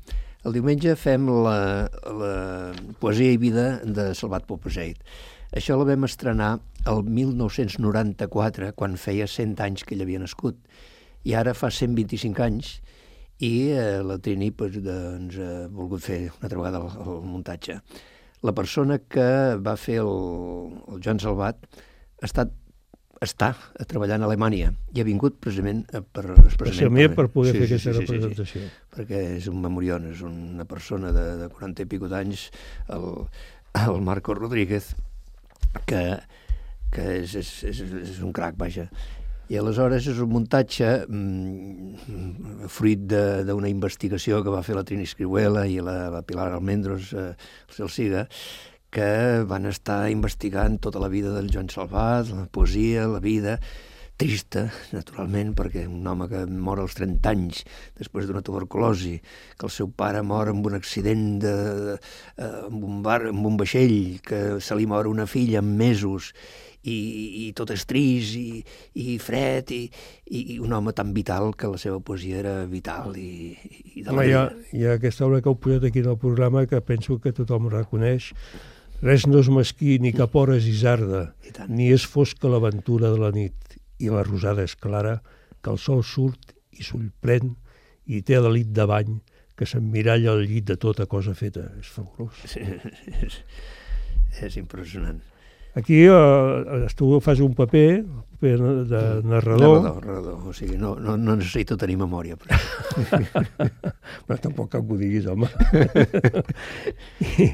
El diumenge fem la, la poesia i vida de Salvat Papasseit. Això la vam estrenar el mil nou-cents noranta-quatre, quan feia cent anys que ell havia nascut. I ara fa cent vint-i-cinc anys i eh, la Trini pues, doncs, ha volgut fer una altra vegada el, el muntatge. La persona que va fer el, el Joan Salvat ha estat està treballant a Alemanya i ha vingut precisament per, especialment per, per poder sí, fer aquesta sí, sí, representació. Sí, sí, perquè és un memorión, és una persona de, de quaranta i pico d'anys, el, el Marco Rodríguez, que, que és, és, és, és un crac, vaja. I aleshores és un muntatge mm, fruit d'una investigació que va fer la Trini Scriuela i la, la Pilar Almendros, eh, el Celsiga, que van estar investigant tota la vida del Joan Salvat, la poesia, la vida, trista, naturalment, perquè un home que mor als trenta anys després d'una tuberculosi, que el seu pare mor en un accident de, de, amb, un bar, amb un vaixell, que se li mor una filla en mesos, i, i tot és trist i, i fred, i, i un home tan vital que la seva poesia era vital. I, i de la hi, ha, hi ha aquesta obra que heu posat aquí en el programa que penso que tothom reconeix. Res no és mesquí, ni cap hora és isarda, ni és fosca l'aventura de la nit, i la rosada és clara, que el sol surt i s'ullprèn, i té l'elit de bany, que s'emmiralla al llit de tota cosa feta. És fabulós. Sí, és, és impressionant. Aquí eh, tu fas un paper, paper de narrador. Narrador, narrador. O sigui, no, no, no necessito tenir memòria. Però, però tampoc cal que ho diguis, home. I,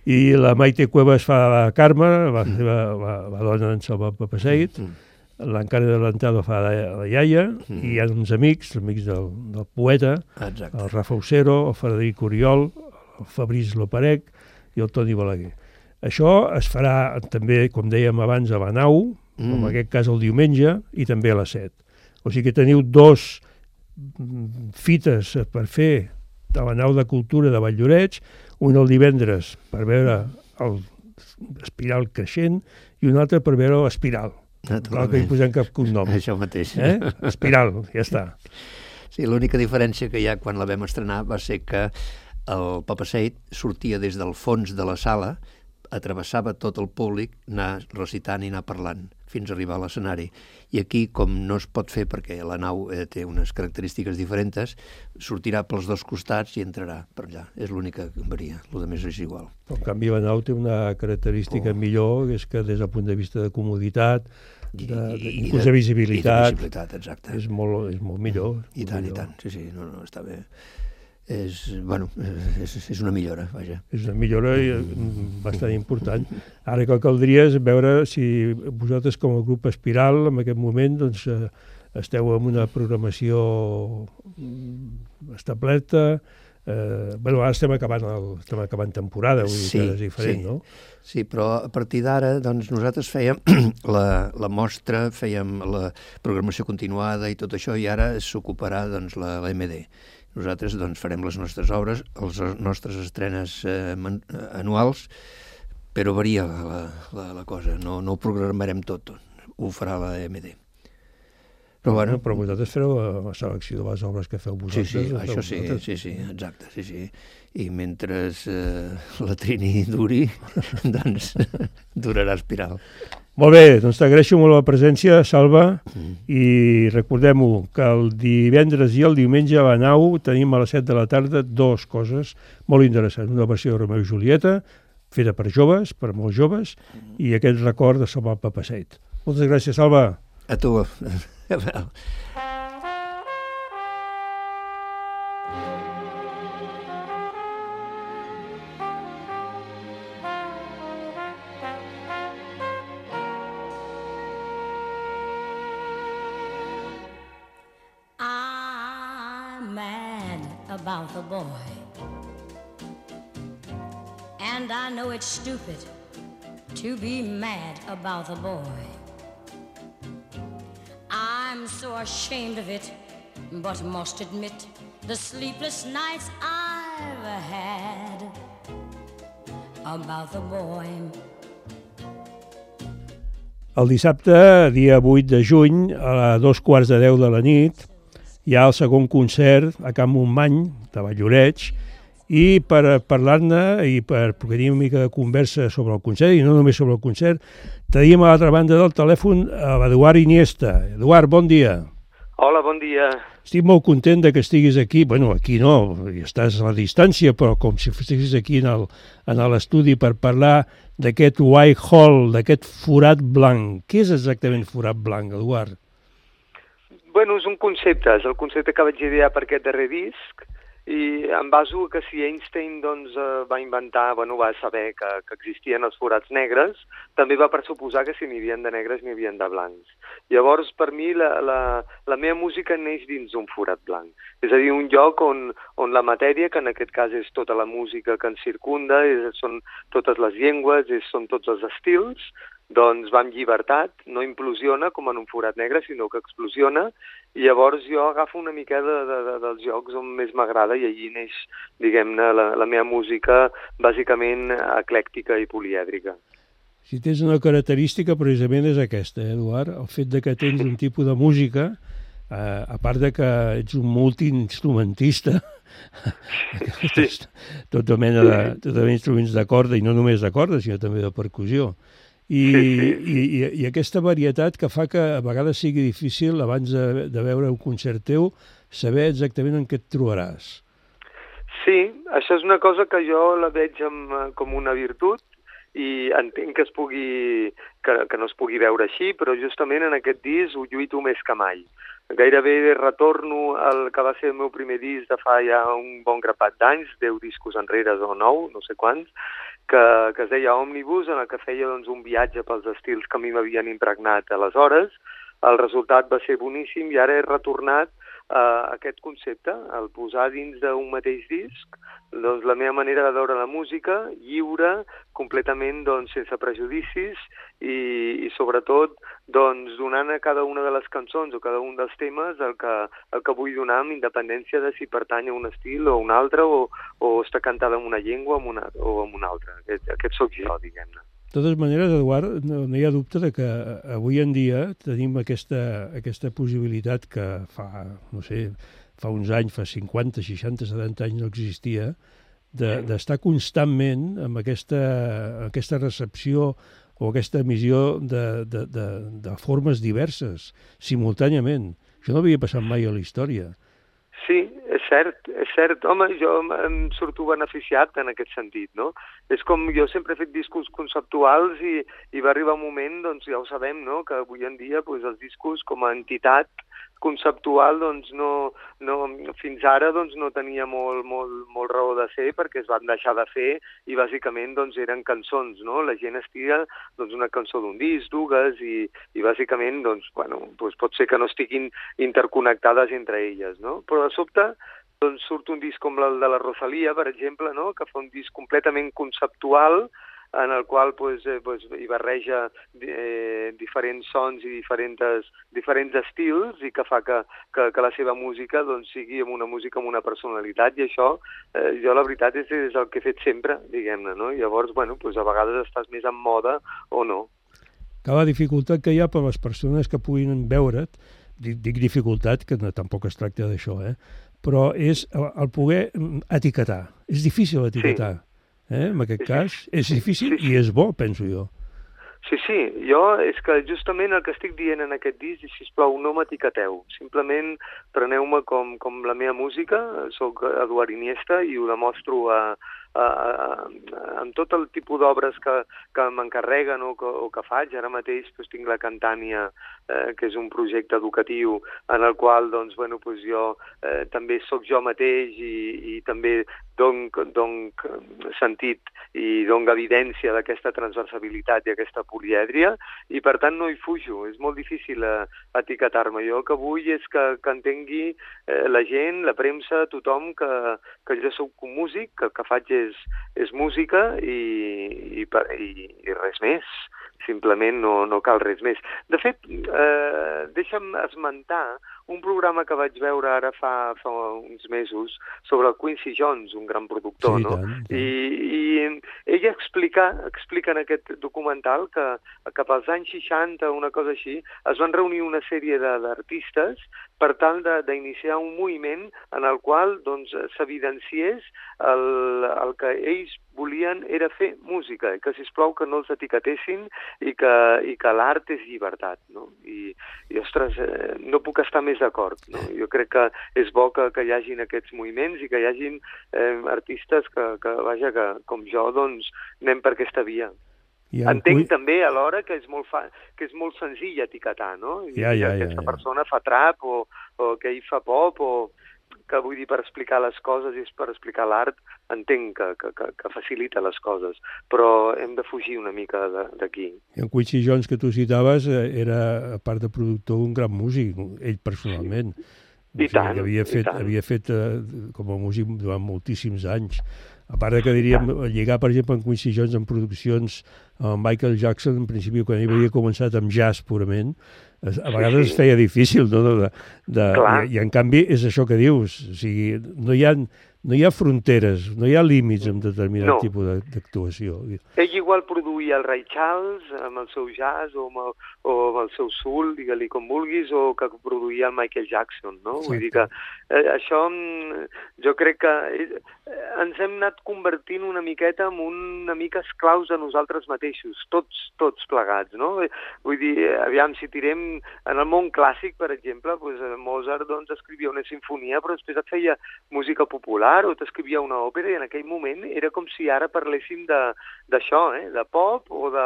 I la Maite Cuevas fa la Carme, la, la, la, la dona d'en Salvat Papasseit, mm. l'Encara de l'Antado fa la, la iaia, mm. i hi ha uns amics, amics del, del poeta, exacte. El Rafa Usero, el Frederic Oriol, el Fabrice Loparec i el Toni Balaguer. Això es farà també, com dèiem abans, a la nau, mm. en aquest cas el diumenge, i també a les set. O sigui que teniu dos fites per fer a la nau de cultura de Valldoreix, un el divendres per veure l'Espiral creixent i un altre per veure l'Espiral. Clar que hi posem cap cognom. Això mateix. Eh? Espiral, ja està. Sí, l'única diferència que hi ha quan la vam estrenar va ser que el Papasseit sortia des del fons de la sala, atravessava tot el públic, anar recitant i anar parlant fins a arribar a l'escenari. I aquí, com no es pot fer perquè la nau eh, té unes característiques diferents, sortirà pels dos costats i entrarà per allà. És l'única que varia, el més és igual. Però, en canvi, la nau té una característica oh. millor, que és que des del punt de vista de comoditat, de, de, inclús de visibilitat, i de visibilitat, exacte. És molt, és molt millor. I tant, millor. i tant, sí, sí, no, no, està bé. És, bueno, és, és una millora, vaja. És una millora bastant important. Ara que caldria és veure si vosaltres com a grup Espiral en aquest moment doncs, esteu en una programació establerta. Eh, bueno, ara estem acabant, el, estem acabant temporada, vull dir sí, que és diferent, sí. no? Sí, però a partir d'ara doncs, nosaltres fèiem la, la mostra, fèiem la programació continuada i tot això, i ara s'ocuparà doncs, la, la M D. Nosaltres doncs, farem les nostres obres, les nostres estrenes eh, anuals, però varia la, la, la cosa, no, no ho programarem tot, ho farà la M D. Però, bueno, però vosaltres fareu la selecció de les obres que feu vosaltres. Sí, sí, això sí, sí, sí, exacte, sí, sí. I mentre eh, la Trini duri, doncs durarà Espiral. Molt bé, doncs t'agraeixo molt la presència, Salva, mm. i recordem-ho, que el divendres i el diumenge a la nau tenim a les set de la tarda dues coses molt interessants. Una versió de Romeu i Julieta, feta per joves, per molts joves, mm. i aquest record de Salvat Papasseit. Moltes gràcies, Salva. A tu. about the boy. And I know it's stupid to be mad about the boy. I'm so ashamed of it, but must admit the sleepless nights I've had about the boy. El dissabte, dia vuit de juny, a dos quarts de deu de la nit, hi ha el segon concert a Can Montmany, de Valloreig, i per parlar-ne i per tenir una mica de conversa sobre el concert, i no només sobre el concert, tenim a l'altra banda del telèfon a l'Eduard Iniesta. Eduard, bon dia. Hola, bon dia. Estic molt content de que estiguis aquí. Bueno, aquí no, estàs a la distància, però com si estiguis aquí en l'estudi per parlar d'aquest white hole, d'aquest forat blanc. Què és exactament forat blanc, Eduard? Bueno, és un concepte, és el concepte que vaig idear per aquest darrer disc, i em baso que si Einstein doncs, va inventar, bueno, va saber que, que existien els forats negres, també va pressuposar que si n'hi havia de negres n'hi havia de blancs. Llavors, per mi, la, la, la meva música neix dins d'un forat blanc. És a dir, un lloc on, on la matèria, que en aquest cas és tota la música que ens circunda, és, són totes les llengües, és, són tots els estils, doncs va amb llibertat, no implosiona com en un forat negre, sinó que explosiona, i llavors jo agafo una mica de, de, de, dels llocs on més m'agrada i allí neix, diguem-ne, la, la meva música bàsicament eclèctica i polièdrica. Si tens una característica, precisament és aquesta, eh, Eduard, el fet de que tens un tipus de música, eh, a part de que ets un multiinstrumentista, sí. tota mena de, tota mena d'instruments de corda, i no només de corda, sinó també de percussió. I, sí, sí. I, i, i aquesta varietat que fa que a vegades sigui difícil, abans de, de veure un concert teu, saber exactament en què et trobaràs. Sí, això és una cosa que jo la veig amb, com una virtut i entenc que, es pugui, que, que no es pugui veure així, però justament en aquest disc ho lluito més que mai. Gairebé retorno al que va ser el meu primer disc de fa ja un bon grapat d'anys, deu discos enrere o nou, no sé quants, que, que es deia Òmnibus, en el que feia doncs, un viatge pels estils que a mi m'havien impregnat aleshores. El resultat va ser boníssim i ara he retornat a aquest concepte, el posar dins d'un mateix disc doncs, la meva manera de veure la música, lliure, completament doncs, sense prejudicis i, i sobretot doncs, donant a cada una de les cançons o cada un dels temes el que, el que vull donar amb independència de si pertany a un estil o a un altre o, o està cantada en una llengua o en una, o en una altra. Aquest, aquest sóc jo, diguem-ne. De totes maneres, Eduard, no, no hi ha dubte de que avui en dia tenim aquesta, aquesta possibilitat que fa, no sé, fa uns anys, fa cinquanta, seixanta, setanta anys no existia, d'estar de, constantment amb aquesta, aquesta recepció o aquesta emissió de, de, de, de formes diverses, simultàniament. Això no havia passat mai a la història. Sí, és cert, és cert. Home, jo em surto beneficiat en aquest sentit, no? És com jo sempre he fet discos conceptuals i, i va arribar un moment, doncs ja ho sabem, no?, que avui en dia doncs, els discos com a entitat conceptual doncs no, no, fins ara doncs, no tenia molt, molt, molt raó de ser perquè es van deixar de fer i bàsicament doncs, eren cançons, no? La gent estia doncs, una cançó d'un disc, dues i, i bàsicament doncs, bueno, doncs pot ser que no estiguin interconnectades entre elles, no? Però de sobte doncs, surt un disc com el de la Rosalía, per exemple, no? Que fa un disc completament conceptual en el qual pues, eh, pues, hi barreja eh, diferents sons i diferents, diferents estils i que fa que, que, que la seva música doncs, sigui amb una música amb una personalitat i això, eh, jo la veritat és, és el que he fet sempre, diguem-ne, no? Llavors, bueno, pues, a vegades estàs més en moda o no. Que la dificultat que hi ha per les persones que puguin veure't, dic, dic dificultat, que no, tampoc es tracta d'això, eh? Però és el, el poder etiquetar. És difícil etiquetar. Sí. Eh? En aquest sí, cas, és difícil sí, sí. I és bo, penso jo. Sí, sí, jo és que justament el que estic dient en aquest disc és, sisplau, no m'etiqueteu, simplement preneu-me com, com la meva música, soc Eduard Iniesta i ho demostro a, a, a, amb tot el tipus d'obres que, que m'encarreguen o, que, o que faig. Ara mateix doncs, tinc la Cantània, eh, que és un projecte educatiu en el qual doncs, bueno, doncs jo eh, també sóc jo mateix i, i també don, don sentit i dona evidència d'aquesta transversabilitat i aquesta polièdria, i per tant no hi fujo, és molt difícil eh, etiquetar-me. Jo el que vull és que, que entengui eh, la gent, la premsa, tothom, que, que jo soc un músic, que el que faig és, és música i, i, i, i res més. Simplement no, no cal res més. De fet, eh, deixa'm esmentar un programa que vaig veure ara fa, fa uns mesos sobre el Quincy Jones, un gran productor, sí, no? Tant, tant. I, i ella explica, explica en aquest documental que cap als anys seixanta, una cosa així, es van reunir una sèrie d'artistes per tal d'iniciar un moviment en el qual doncs, s'evidenciés el, el que ells volien era fer música, que sisplau que no els etiquetessin i que, i que l'art és llibertat, no? I, i ostres, eh, no puc estar més d'acord, no? Jo crec que és bo que, que hi hagin aquests moviments i que hi hagin eh, artistes que, que, vaja, que com jo, doncs, anem per aquesta via. Entenc cuy... també alhora que és molt, fa... que és molt senzill etiquetar, no? I ja, ja, que aquesta ja, ja. persona fa trap o, o que ell fa pop o que vull dir per explicar les coses i per explicar l'art, entenc que, que, que, que facilita les coses, però hem de fugir una mica d'aquí. I en Quincy Jones, que tu citaves, era, a part de productor, un gran músic, ell personalment. Sí. I, o sigui, tant, havia fet, i tant. Havia fet eh, com a músic durant moltíssims anys. A part de que diríem, lligar, per exemple, en Quincy Jones en produccions amb Michael Jackson, en principi, quan ell havia començat amb jazz purament, a vegades sí, sí. es feia difícil, no? De, de, i, I en canvi és això que dius, o sigui, no hi ha, no hi ha fronteres, no hi ha límits en determinat no. tipus d'actuació. Ell igual produïa el Ray Charles amb el seu jazz o amb el, o amb el seu soul, digue-li com vulguis, o que produïa el Michael Jackson, no? Exacte. Vull dir que eh, això jo crec que eh, ens hem anat convertint una miqueta en una mica esclaus de nosaltres mateixos, tots, tots plegats, no? Vull dir, aviam, si tirem en el món clàssic, per exemple, doncs Mozart doncs, escrivia una sinfonia, però després et feia música popular o t'escrivia una òpera, i en aquell moment era com si ara parléssim d'això, eh? De pop o de,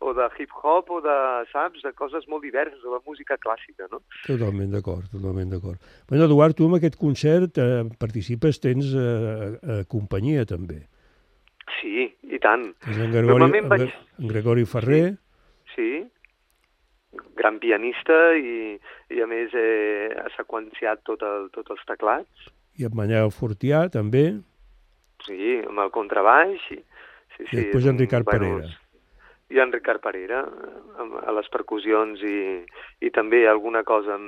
o de hip-hop o de, saps, de coses molt diverses, o de música clàssica, no? Totalment d'acord, totalment d'acord. Bueno, Eduard, tu en aquest concert eh, participes, tens eh, eh, companyia també. Sí, i tant. És en Gregori, vaig... en Gregori Ferrer. Sí, sí. Gran pianista i, i a més eh, ha seqüenciat tot el, tots els teclats. I en Manel Fortià, també. Sí, amb el contrabaix. I, sí, I després sí, en Ricard bueno, Parera. I en Ricard Parera, amb, a les percussions i, i també alguna cosa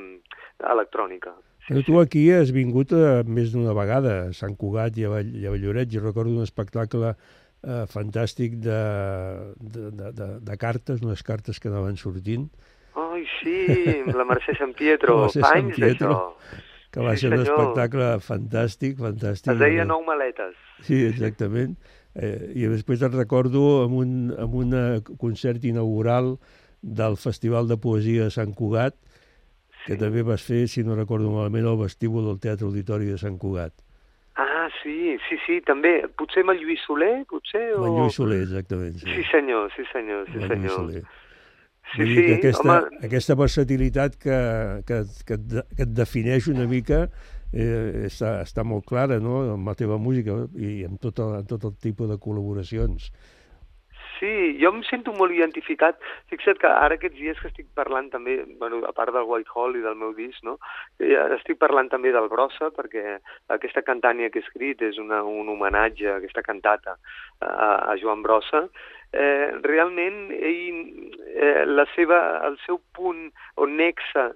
electrònica. Sí, Però tu aquí has vingut eh, més d'una vegada a Sant Cugat i a, Vall, i a Valloret. Jo recordo un espectacle eh, fantàstic de, de, de, de, de cartes, unes cartes que anaven sortint. Ai, sí, la Mercè Sant Pietro, anys d'això. Que va sí, ser un senyor. espectacle fantàstic, fantàstic. Es deia Nou maletes. Sí, exactament. Eh, I després et recordo amb un, amb un concert inaugural del Festival de Poesia de Sant Cugat, que sí. també vas fer, si no recordo malament, al vestíbul del Teatre Auditori de Sant Cugat. Ah, sí, sí, sí, també. Potser amb el Lluís Soler, potser? O... Amb el Lluís Soler, exactament. Sí, sí senyor, sí senyor, sí amb senyor. Soler. Sí, Vull sí, dir que aquesta, home... aquesta versatilitat que, que, que, et, que et defineix una mica eh, està, està molt clara, no?, amb la teva música i amb tot el, amb tot el tipus de col·laboracions. Sí, jo em sento molt identificat. Fixa't que ara aquests dies que estic parlant també, bueno, a part del Whitehall i del meu disc, no? Estic parlant també del Brossa, perquè aquesta cantània que he escrit és una, un homenatge a aquesta cantata a, a Joan Brossa. Eh, realment, ell, eh, la seva, el seu punt o nexe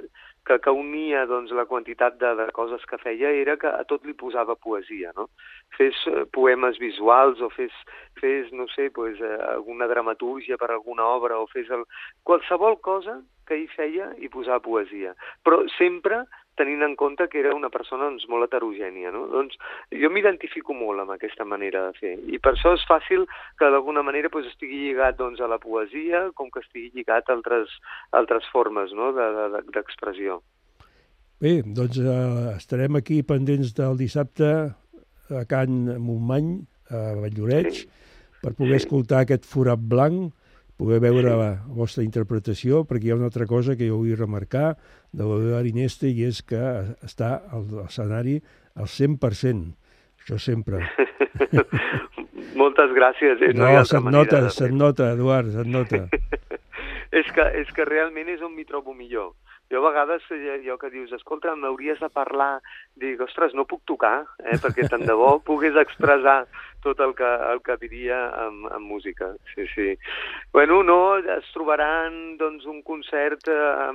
que, que unia doncs, la quantitat de, de coses que feia era que a tot li posava poesia, no? Fes eh, poemes visuals o fes, fes no sé, pues, eh, alguna dramatúrgia per alguna obra o fes el... qualsevol cosa que ell feia hi posava poesia, però sempre tenint en compte que era una persona doncs, molt heterogènia, no? Doncs jo m'identifico molt amb aquesta manera de fer i per això és fàcil que d'alguna manera doncs, estigui lligat doncs, a la poesia com que estigui lligat a altres, altres formes, no? d'expressió. Bé, doncs eh, estarem aquí pendents del dissabte a Can Montmany, a Valldoreix, sí. per poder sí. escoltar aquest Forat Blanc, poder veure sí. la vostra interpretació, perquè hi ha una altra cosa que jo vull remarcar de la veu d'Arineste, i és que està a l'escenari al cent per cent. Això sempre. Moltes gràcies. Eh? No, no no se't nota, se't nota, Eduard, se't nota. és, que, és que realment és on m'hi trobo millor. Jo a vegades, jo que dius, escolta, m'hauries de parlar, dic, ostres, no puc tocar, eh? perquè tant de bo pogués expressar tot el que, el que diria amb, amb música. Sí, sí. Bueno, no, es trobaran doncs, un concert eh,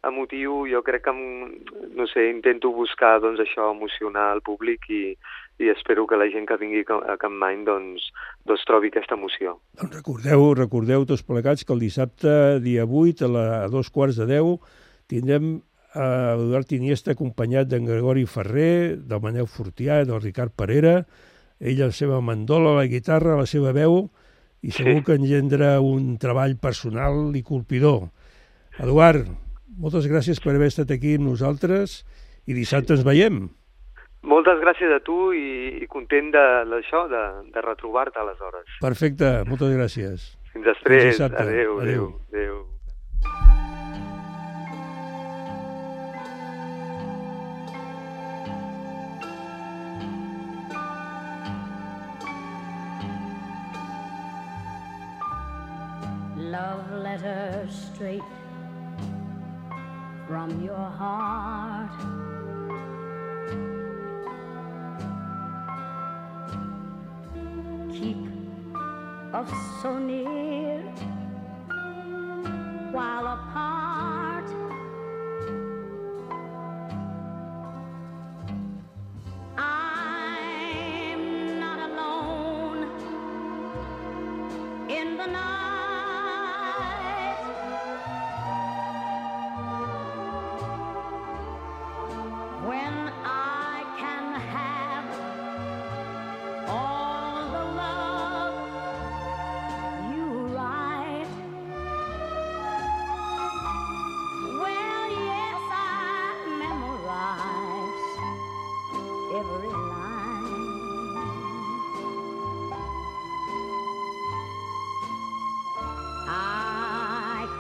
emotiu, jo crec que, amb, no sé, intento buscar doncs, això, emocionar el públic i, i espero que la gent que vingui a Capmany doncs, doncs trobi aquesta emoció. Doncs recordeu, recordeu tots plegats que el dissabte, dia vuit, a, la, a dos quarts de deu, tindrem a Eduard Iniesta acompanyat d'en Gregori Ferrer, del Manel Fortià, del Ricard Parera, ell la seva mandola, la guitarra, la seva veu, i segur sí. que engendra un treball personal i colpidor. Eduard, moltes gràcies per haver estat aquí amb nosaltres i dissabte ens veiem. Moltes gràcies a tu i, i content d'això, de, de, de retrobar-te aleshores. Perfecte, moltes gràcies. Fins després. Adéu, adéu, adéu. Love letters straight from your heart. Keep us so near while apart. I'm not alone in the night.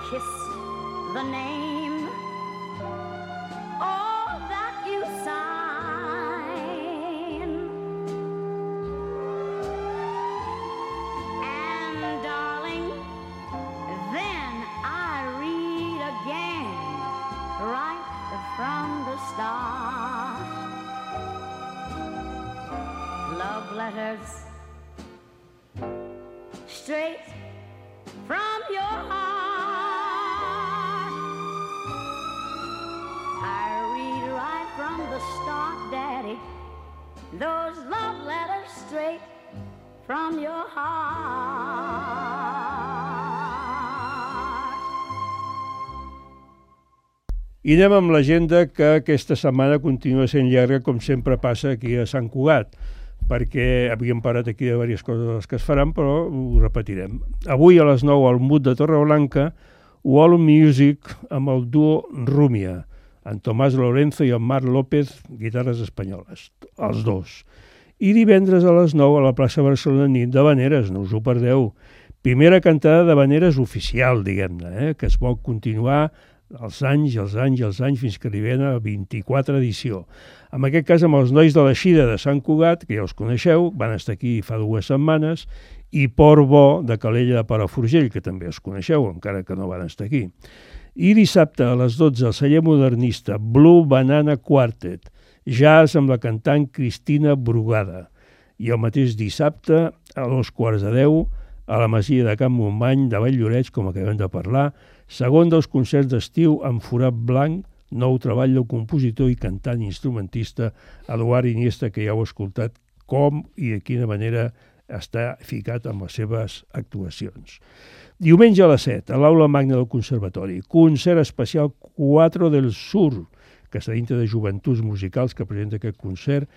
Kiss the name, all that you sign, and darling, then I read again, right from the start. Love letters straight from your heart. From the start, Daddy, those love letters straight from your heart. I anem amb l'agenda, que aquesta setmana continua sent llarga, com sempre passa aquí a Sant Cugat, perquè havíem parat aquí de diverses coses que es faran, però ho repetirem. Avui a les nou al Mut de Torreblanca, World Music amb el duo Rúmia, en Tomàs Lorenzo i en Marc López, guitarres espanyoles, els dos. I divendres a les nou a la plaça Barcelona, nit de Vaneres, no us ho perdeu. Primera cantada de Vaneres oficial, diguem-ne, eh? que es vol continuar els anys, els anys, els anys, fins que arribem a vint-i-quatre edició. En aquest cas amb els nois de l'Eixida de Sant Cugat, que ja els coneixeu, van estar aquí fa dues setmanes, i Port Bo de Calella de Palafrugell, que també els coneixeu, encara que no van estar aquí. I dissabte a les dotze al celler modernista Blue Banana Quartet, jazz amb la cantant Cristina Brugada. I el mateix dissabte a dos quarts de deu a la Masia de Can Montmany de Valldoreix, com acabem de parlar, segon dels concerts d'estiu amb Forat Blanc, nou treball del compositor i cantant instrumentista Eduard Iniesta, que ja heu escoltat com i de quina manera està ficat amb les seves actuacions. Diumenge a les set, a l'Aula Magna del Conservatori, concert especial Cuatro del Sur, que està dintre de Joventuts Musicals, que presenta aquest concert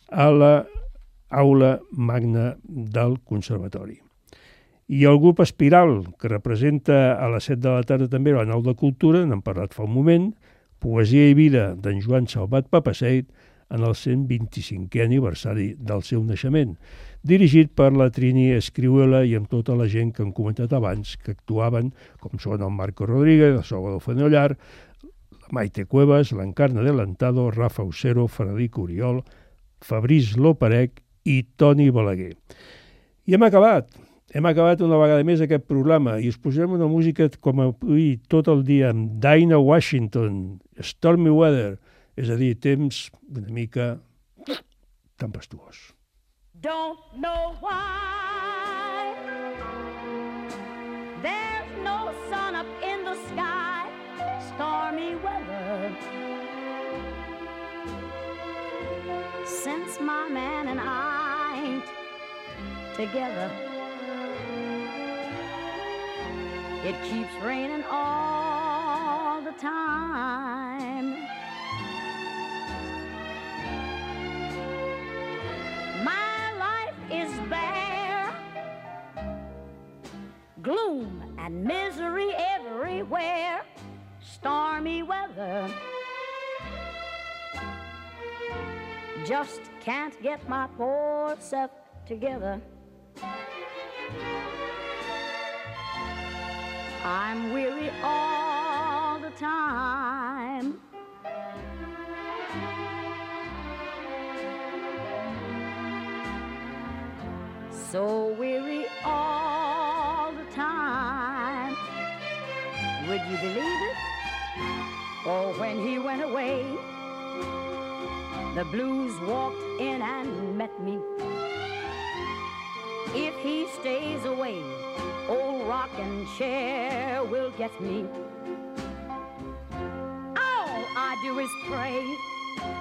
a l'Aula Magna del Conservatori. I el grup Espiral, que representa a les set de la tarda també a la Nau de Cultura, n'hem parlat fa un moment, Poesia i vida d'en Joan Salvat Papaseit, en el cent vint-i-cinquè aniversari del seu naixement, dirigit per la Trini Escriuela i amb tota la gent que hem comentat abans, que actuaven, com són el Marco Rodríguez, el Salvador Fenollar, la Maite Cuevas, l'Encarna Adelantado, Rafa Usero, Frederic Oriol, Fabriç Loparec i Toni Balaguer. I hem acabat. Hem acabat una vegada més aquest programa i us posarem una música com avui tot el dia amb Dinah Washington, Stormy Weather, és a dir, temps una mica tempestuós. Don't know why there's no sun up in the sky, stormy weather. Since my man and I ain't together, it keeps raining all the time. My life is bare, gloom and misery everywhere, stormy weather. Just can't get my poor self together. I'm weary all the time. So weary all the time. Would you believe it? Oh, when he went away, the blues walked in and met me. If he stays away, old rocking chair will get me. All I do is pray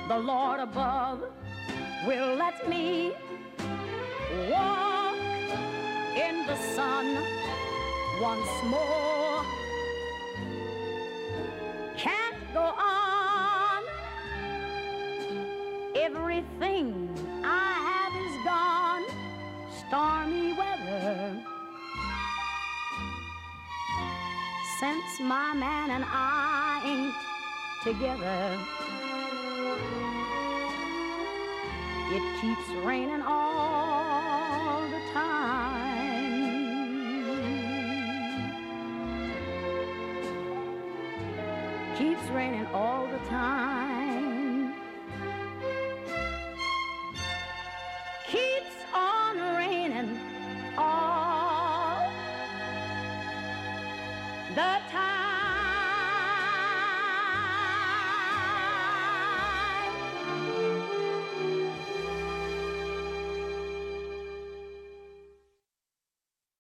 the Lord above will let me walk in the sun once more. Can't go on. Everything I have is gone. Stormy weather. Since my man and I ain't together, it keeps raining all the time. Keeps raining all the time. Keeps on raining all the time.